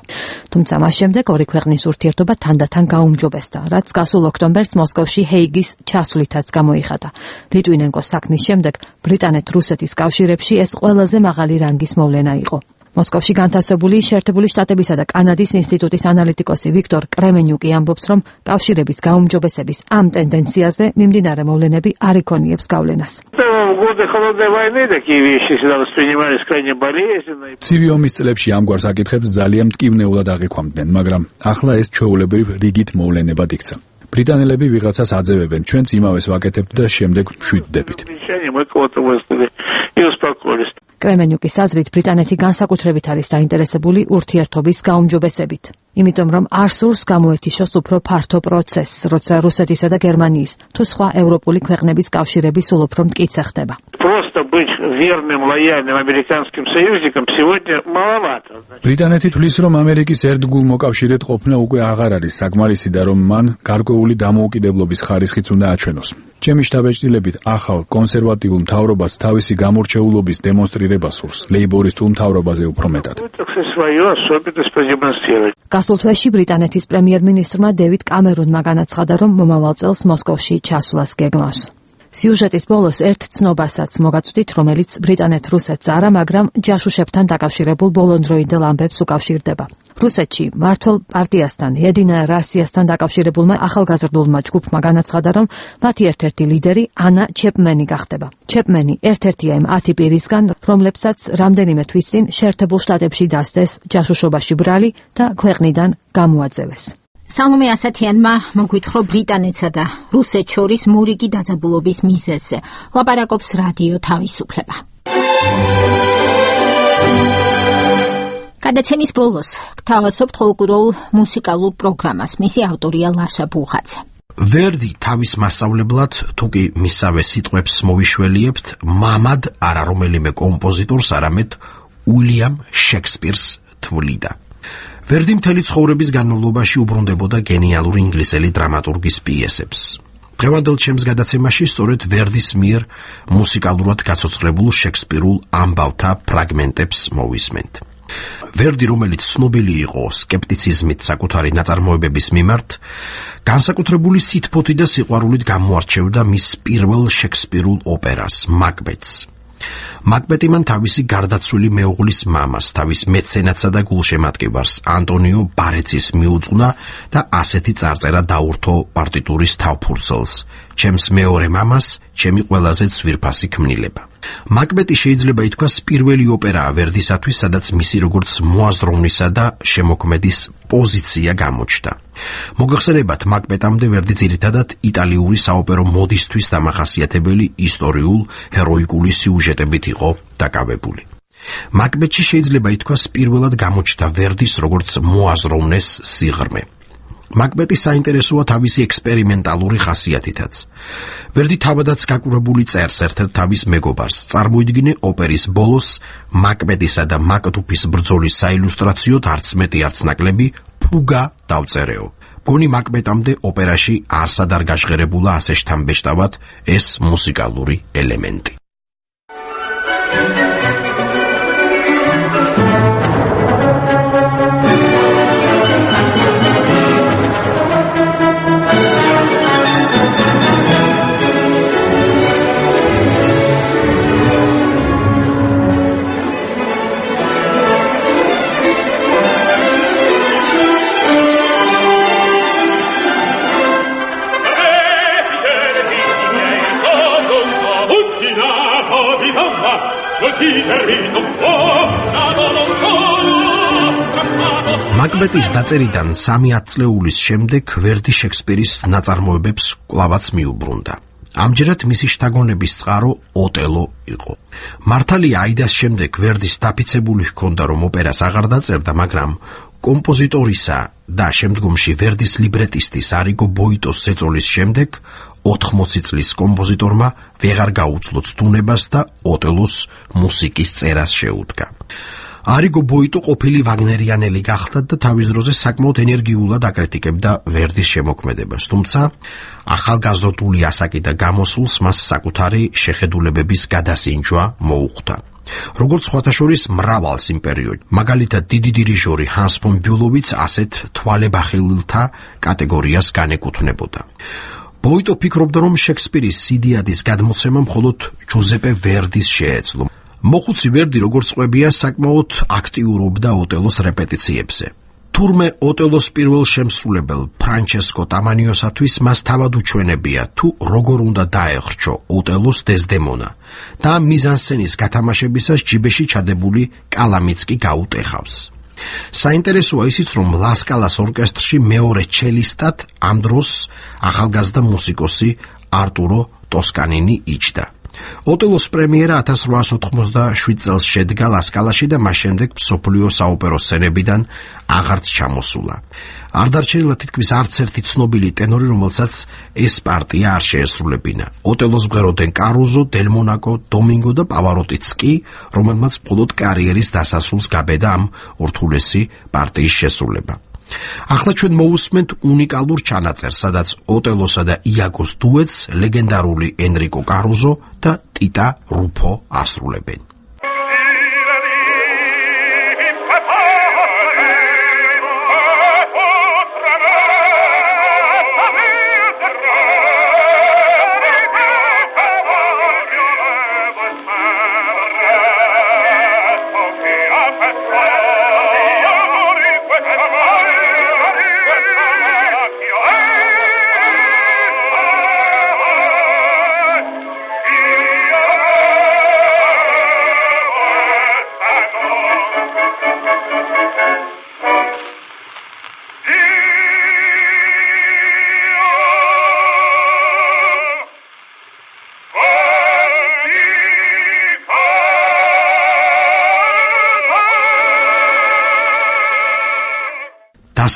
თუმცა მას შემდეგ ორი ქვეყნის ურთიერთობა თანდათან გაუმჯობესდა, რაც გასულ ოქტომბერს მოსკოვში ჰეიგის ჩასვლითაც გამოიხატა. ლიტვინენკოს საქმის შემდეგ ბრიტანეთ-რუსეთის კავშირებში ეს ყველაზე მაღალი რანგის მოვლენა იყო. მოსკოვში განთავსებული შეერთებული შტატებისა და კანადის ინსტიტუტის ანალიტიკოსი ვიქტორ კრემენიუკი ამბობს, რომ კავშირების გაუმჯობესების ამ ტენდენციაზე მიმდინარე მოვლენები არ იქონიებს გავლენას. ცივი ომის წლებში ამგვარ საკითხებს ძალიან მტკივნეულად აღიქვამდნენ, მაგრამ ახლა ეს ჩვეულებრივ რიგით მოვლენებად იქცა. ბრიტანელები ვიღაცას აძევებენ, ჩვენც იმავეს ვაკეთებთ და შემდეგ მშვიდდებით. კრემენიუკის აზრით, ბრიტანეთი განსაკუთრებით არის დაინტერესებული ურთიერთობის გაუმჯობესებით. იმიტომ, რომ არ სურს გამოეთიშოს უფრო ფართო პროცესს, როცა რუსეთისა და გერმანიის თუ სხვა ევროპული ქვეყნების კავშირები სულ უფრო მტკიცე ხდება. ბრიტანეთი თვლის, რომ ამერიკის ერთგულ მოკავშირედ ყოფნა უკვე აღარ არის საკმარისი და რომ მან გარკვეული დამოუკიდებლობის ხარისხიც უნდა აჩვენოს. ჩემი შთაბეჭდილებით, ახალ კონსერვატიულ მთავრობას თავისი გამორჩეულობის დემონსტრირება სურს, ლეიბორისტულ მთავრობაზე უფრო მეტად. გასულ თვეში ბრიტანეთის პრემიერ-მინისტრმა დევიდ კამერუნმა განაცხადა, რომ მომავალ წელს მოსკოვში ჩასვლას გეგმავს. სიუჟეტის ბოლოს ერთ ცნობასაც მოგაწვდით, რომელიც ბრიტანეთ-რუსეთს არა, მაგრამ ჯაშუშებთან დაკავშირებულ ბოლონდროინდელ ამბებს უკავშირდება. რუსეთში მართლ პარტიასთან, ედინა რასიასთან დაკავშირებულმა ახალგაზრდულმა ჯგუფმა განაცხადა, რომ მათი ერთ-ერთი ლიდერი ანა ჩეპმენი გახდება. ჩეპმენი ერთ-ერთია იმ 10 პირისგან, რომლებსაც რამდენიმე თვის წინ შეერთებულ შტატებში დასდეს ჯაშუშობაში ბრალი და ქვეყნიდან გამოაძევეს. სალომე ასათიანმა მოგვითხრა ბრიტანეთსა და რუსეთს შორის მორიგი დაძაბულობის მიზეზზე. ლაპარაკობს რადიო თავისუფლება. გადაცემის ბოლოს გთავაზობთ ხოლკლორულ მუსიკალურ პროგრამას. მისი ავტორია ლაშა ბუღაძე. ვერდი თავის მასწავლებლად, თუკი მისავე სიტყვებს მოვიშველიებთ, მამად არა რომელიმე კომპოზიტორს, არამედ უილიამ შექსპირს თვლიდა. ვერდი მთელი ცხოვრების განმავლობაში უბრუნდებოდა გენიალური ინგლისელი დრამატურგის პიესებს. დღევანდელ ჩემს გადაცემაში სწორედ ვერდის მიერ მუსიკალურად გაცოცხლებულ შექსპირულ ამბავთა ფრაგმენტებს მოვისმენთ. ვერდი, რომელიც ცნობილი იყო სკეპტიციზმით საკუთარი ნაწარმოებების მიმართ, განსაკუთრებული სითბოთი და სიყვარულით გამოარჩევდა მის პირველ შექსპირულ ოპერას, მაკბეტს. მაკბეტი მან თავისი გარდაცვლილი მეუღლის მამას, თავის მეცენატსა და გულშემატკივარს, ანტონიო ბარეცის მიუძღვნა და ასეთი წარწერა დაურთო პარტიტურის თავფურცელს: ჩემს მეორე მამას, ჩემი ყველაზე ძვირფასი ქმნილება. მაკბეტი შეიძლება ითქვას პირველი ოპერაა ვერდისათვის, სადაც მისი როგორც მოაზროვნისა და შემოქმედის პოზიცია გამოჩნდა. მოგახსენებათ, მაკბეტამდე ვერდი ძირითადად იტალიური საოპერო მოდისთვის დამახასიათებელი ისტორიულ ჰეროიკული სიუჟეტებით იყო დაკავებული. მაკბეტში შეიძლება ითქვას პირველად გამოჩნდა ვერდის როგორც მოაზროვნეს სიღრმე. მაკბეტი საინტერესოა თავისი ექსპერიმენტალური ხასიათითაც. ვერდი თავადაც გაკურებული წერს ერთ-ერთ თავის მეგობარს. წარმოიდგინე ოპერის ბოლოს მაკბეტისა და მაკდუფის ბრძოლის საილუსტრაციოდ არც მეტი არც ნაკლები ფუგა დავწერეო. მგონი მაკბეტამდე ოპერაში არსად არ გაჟღერებულა ასე შთამბეჭდავად ეს მუსიკალური ელემენტი. მაკბეტის დაწერიდან 3 ათწლეულის შემდეგ ვერდი შექსპირის ნაწარმოებებს კვლავაც მიუბრუნდა. ამჯერად მისი შთაგონების წყარო ოტელო იყო. მართალია, აიდას შემდეგ ვერდის დაფიცებული ჰქონდა, რომ ოპერას აღარ დაწერდა, მაგრამ კომპოზიტორისა და შემდგომში ვერდის ლიბრეტისტის არიგო ბოიტოს ზეწოლის შემდეგ 80 წლის კომპოზიტორმა ვეღარ გაუძლო ცდუნებას და ოტელოს მუსიკის წერას შეუდგა. არიგო ბოიტო ყოფილი ვაგნერიანელი გახდა და თავის დროზე საკმაოდ ენერგიულად აკრიტიკებდა ვერდის შემოქმედებას, თუმცა ახალგაზრდული ასაკი და გამოსულს მას საკუთარი შეხედულებების გადასინჯვა მოუხდა. როგორც სხვათაშორის მრავალ სიმპერიოდში, მაგალითად დიდი დირიჟორი ჰანს ფონ ბიულოვიც ასეთ თვალებახილთა კატეგორიას განეკუთვნებოდა. ბოიტო ფიქრობდა, რომ შექსპირის სიდიადის გადმოცემა მხოლოდ ჯუზეპე ვერდის შეეძლო. მოხუცი ვერდი, როგორც ყვებია, საკმაოდ აქტიურობდა ოტელოს რეპეტიციებზე. თურმე ოტელოს პირველ შემსრულებელ ფრანჩესკო ტამანიოსათვის მას თავად უჩვენებია, თუ როგორ უნდა დაეხრჩო ოტელოს დეზდემონა და მიზანსცენის გათამაშებისას ჯიბეში ჩადებული კალამიც კი გაუტეხავს. საინტერესოა ისიც, რომ ლასკალას ორკესტრში მეორე ჩელისტად ამ დროს ახალგაზრდა მუსიკოსი არტურო ტოსკანინი იჯდა. ოტელოს პრემიერა 1887 წელს შედგა ლასკალაში და მას შემდეგ მსოფლიო საოპერო სცენებიდან აღარც ჩამოსულა. არ დარჩენილა თითქმის არც ერთი ცნობილი ტენორი, რომელსაც ეს პარტია არ შეესრულებინა. ოტელოს მღეროდნენ კარუზო, დელმონაკო, დომინგო და პავაროტიც კი, რომელმაც მხოლოდ კარიერის დასასრულს გაბედა ამ ურთულესი პარტიის შესრულება. ახლა ჩვენ მოვუსმენთ უნიკალურ ჩანაწერს, სადაც ოტელოსა და იაგოს დუეტს ლეგენდარული ენრიკო კარუზო და ტიტა რუფო ასრულებენ.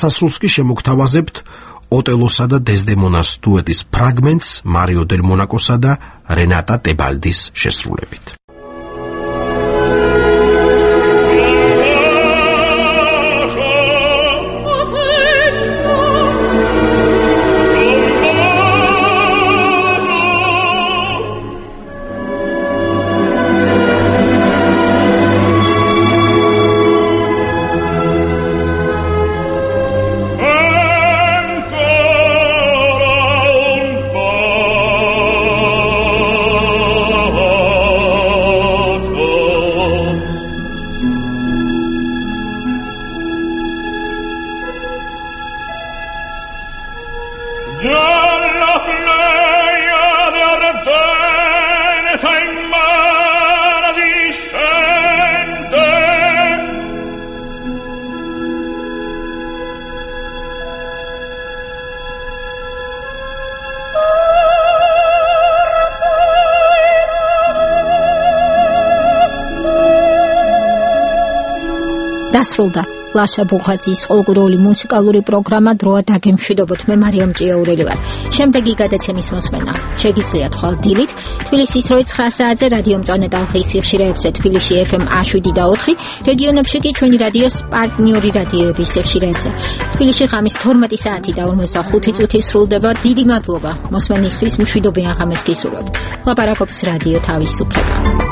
დასასრულს კი შემოგთავაზებთ ოტელოსა და დეზდემონას დუეტის ფრაგმენტს მარიო დელ მონაკოსა და რენატა ტებალდის შესრულებით. დასრულდა ლაშა ბუხაძის პოლკურული მუსიკალური პროგრამა დროა დაგემშვიდობოთ. მე მარიამ ჭიაურელი ვარ. შემდეგი გადაცემის მოსმენა შეგიძლიათ ხვალ დილით თბილისის 9 საათზე რადიო მწვანე ტალღის სიხშირეებზე თბილისში FM 7 და 4, რეგიონებში კი ჩვენი რადიოს პარტნიორი რადიოების სიხშირეებზე. თბილისში ღამის 12 საათი და 45 წუთი სრულდება. დიდი მადლობა მოსმენისთვის, მშვიდობიან ღამეს გისურვებთ. ლაპარაკობს რადიო თავისუფლება.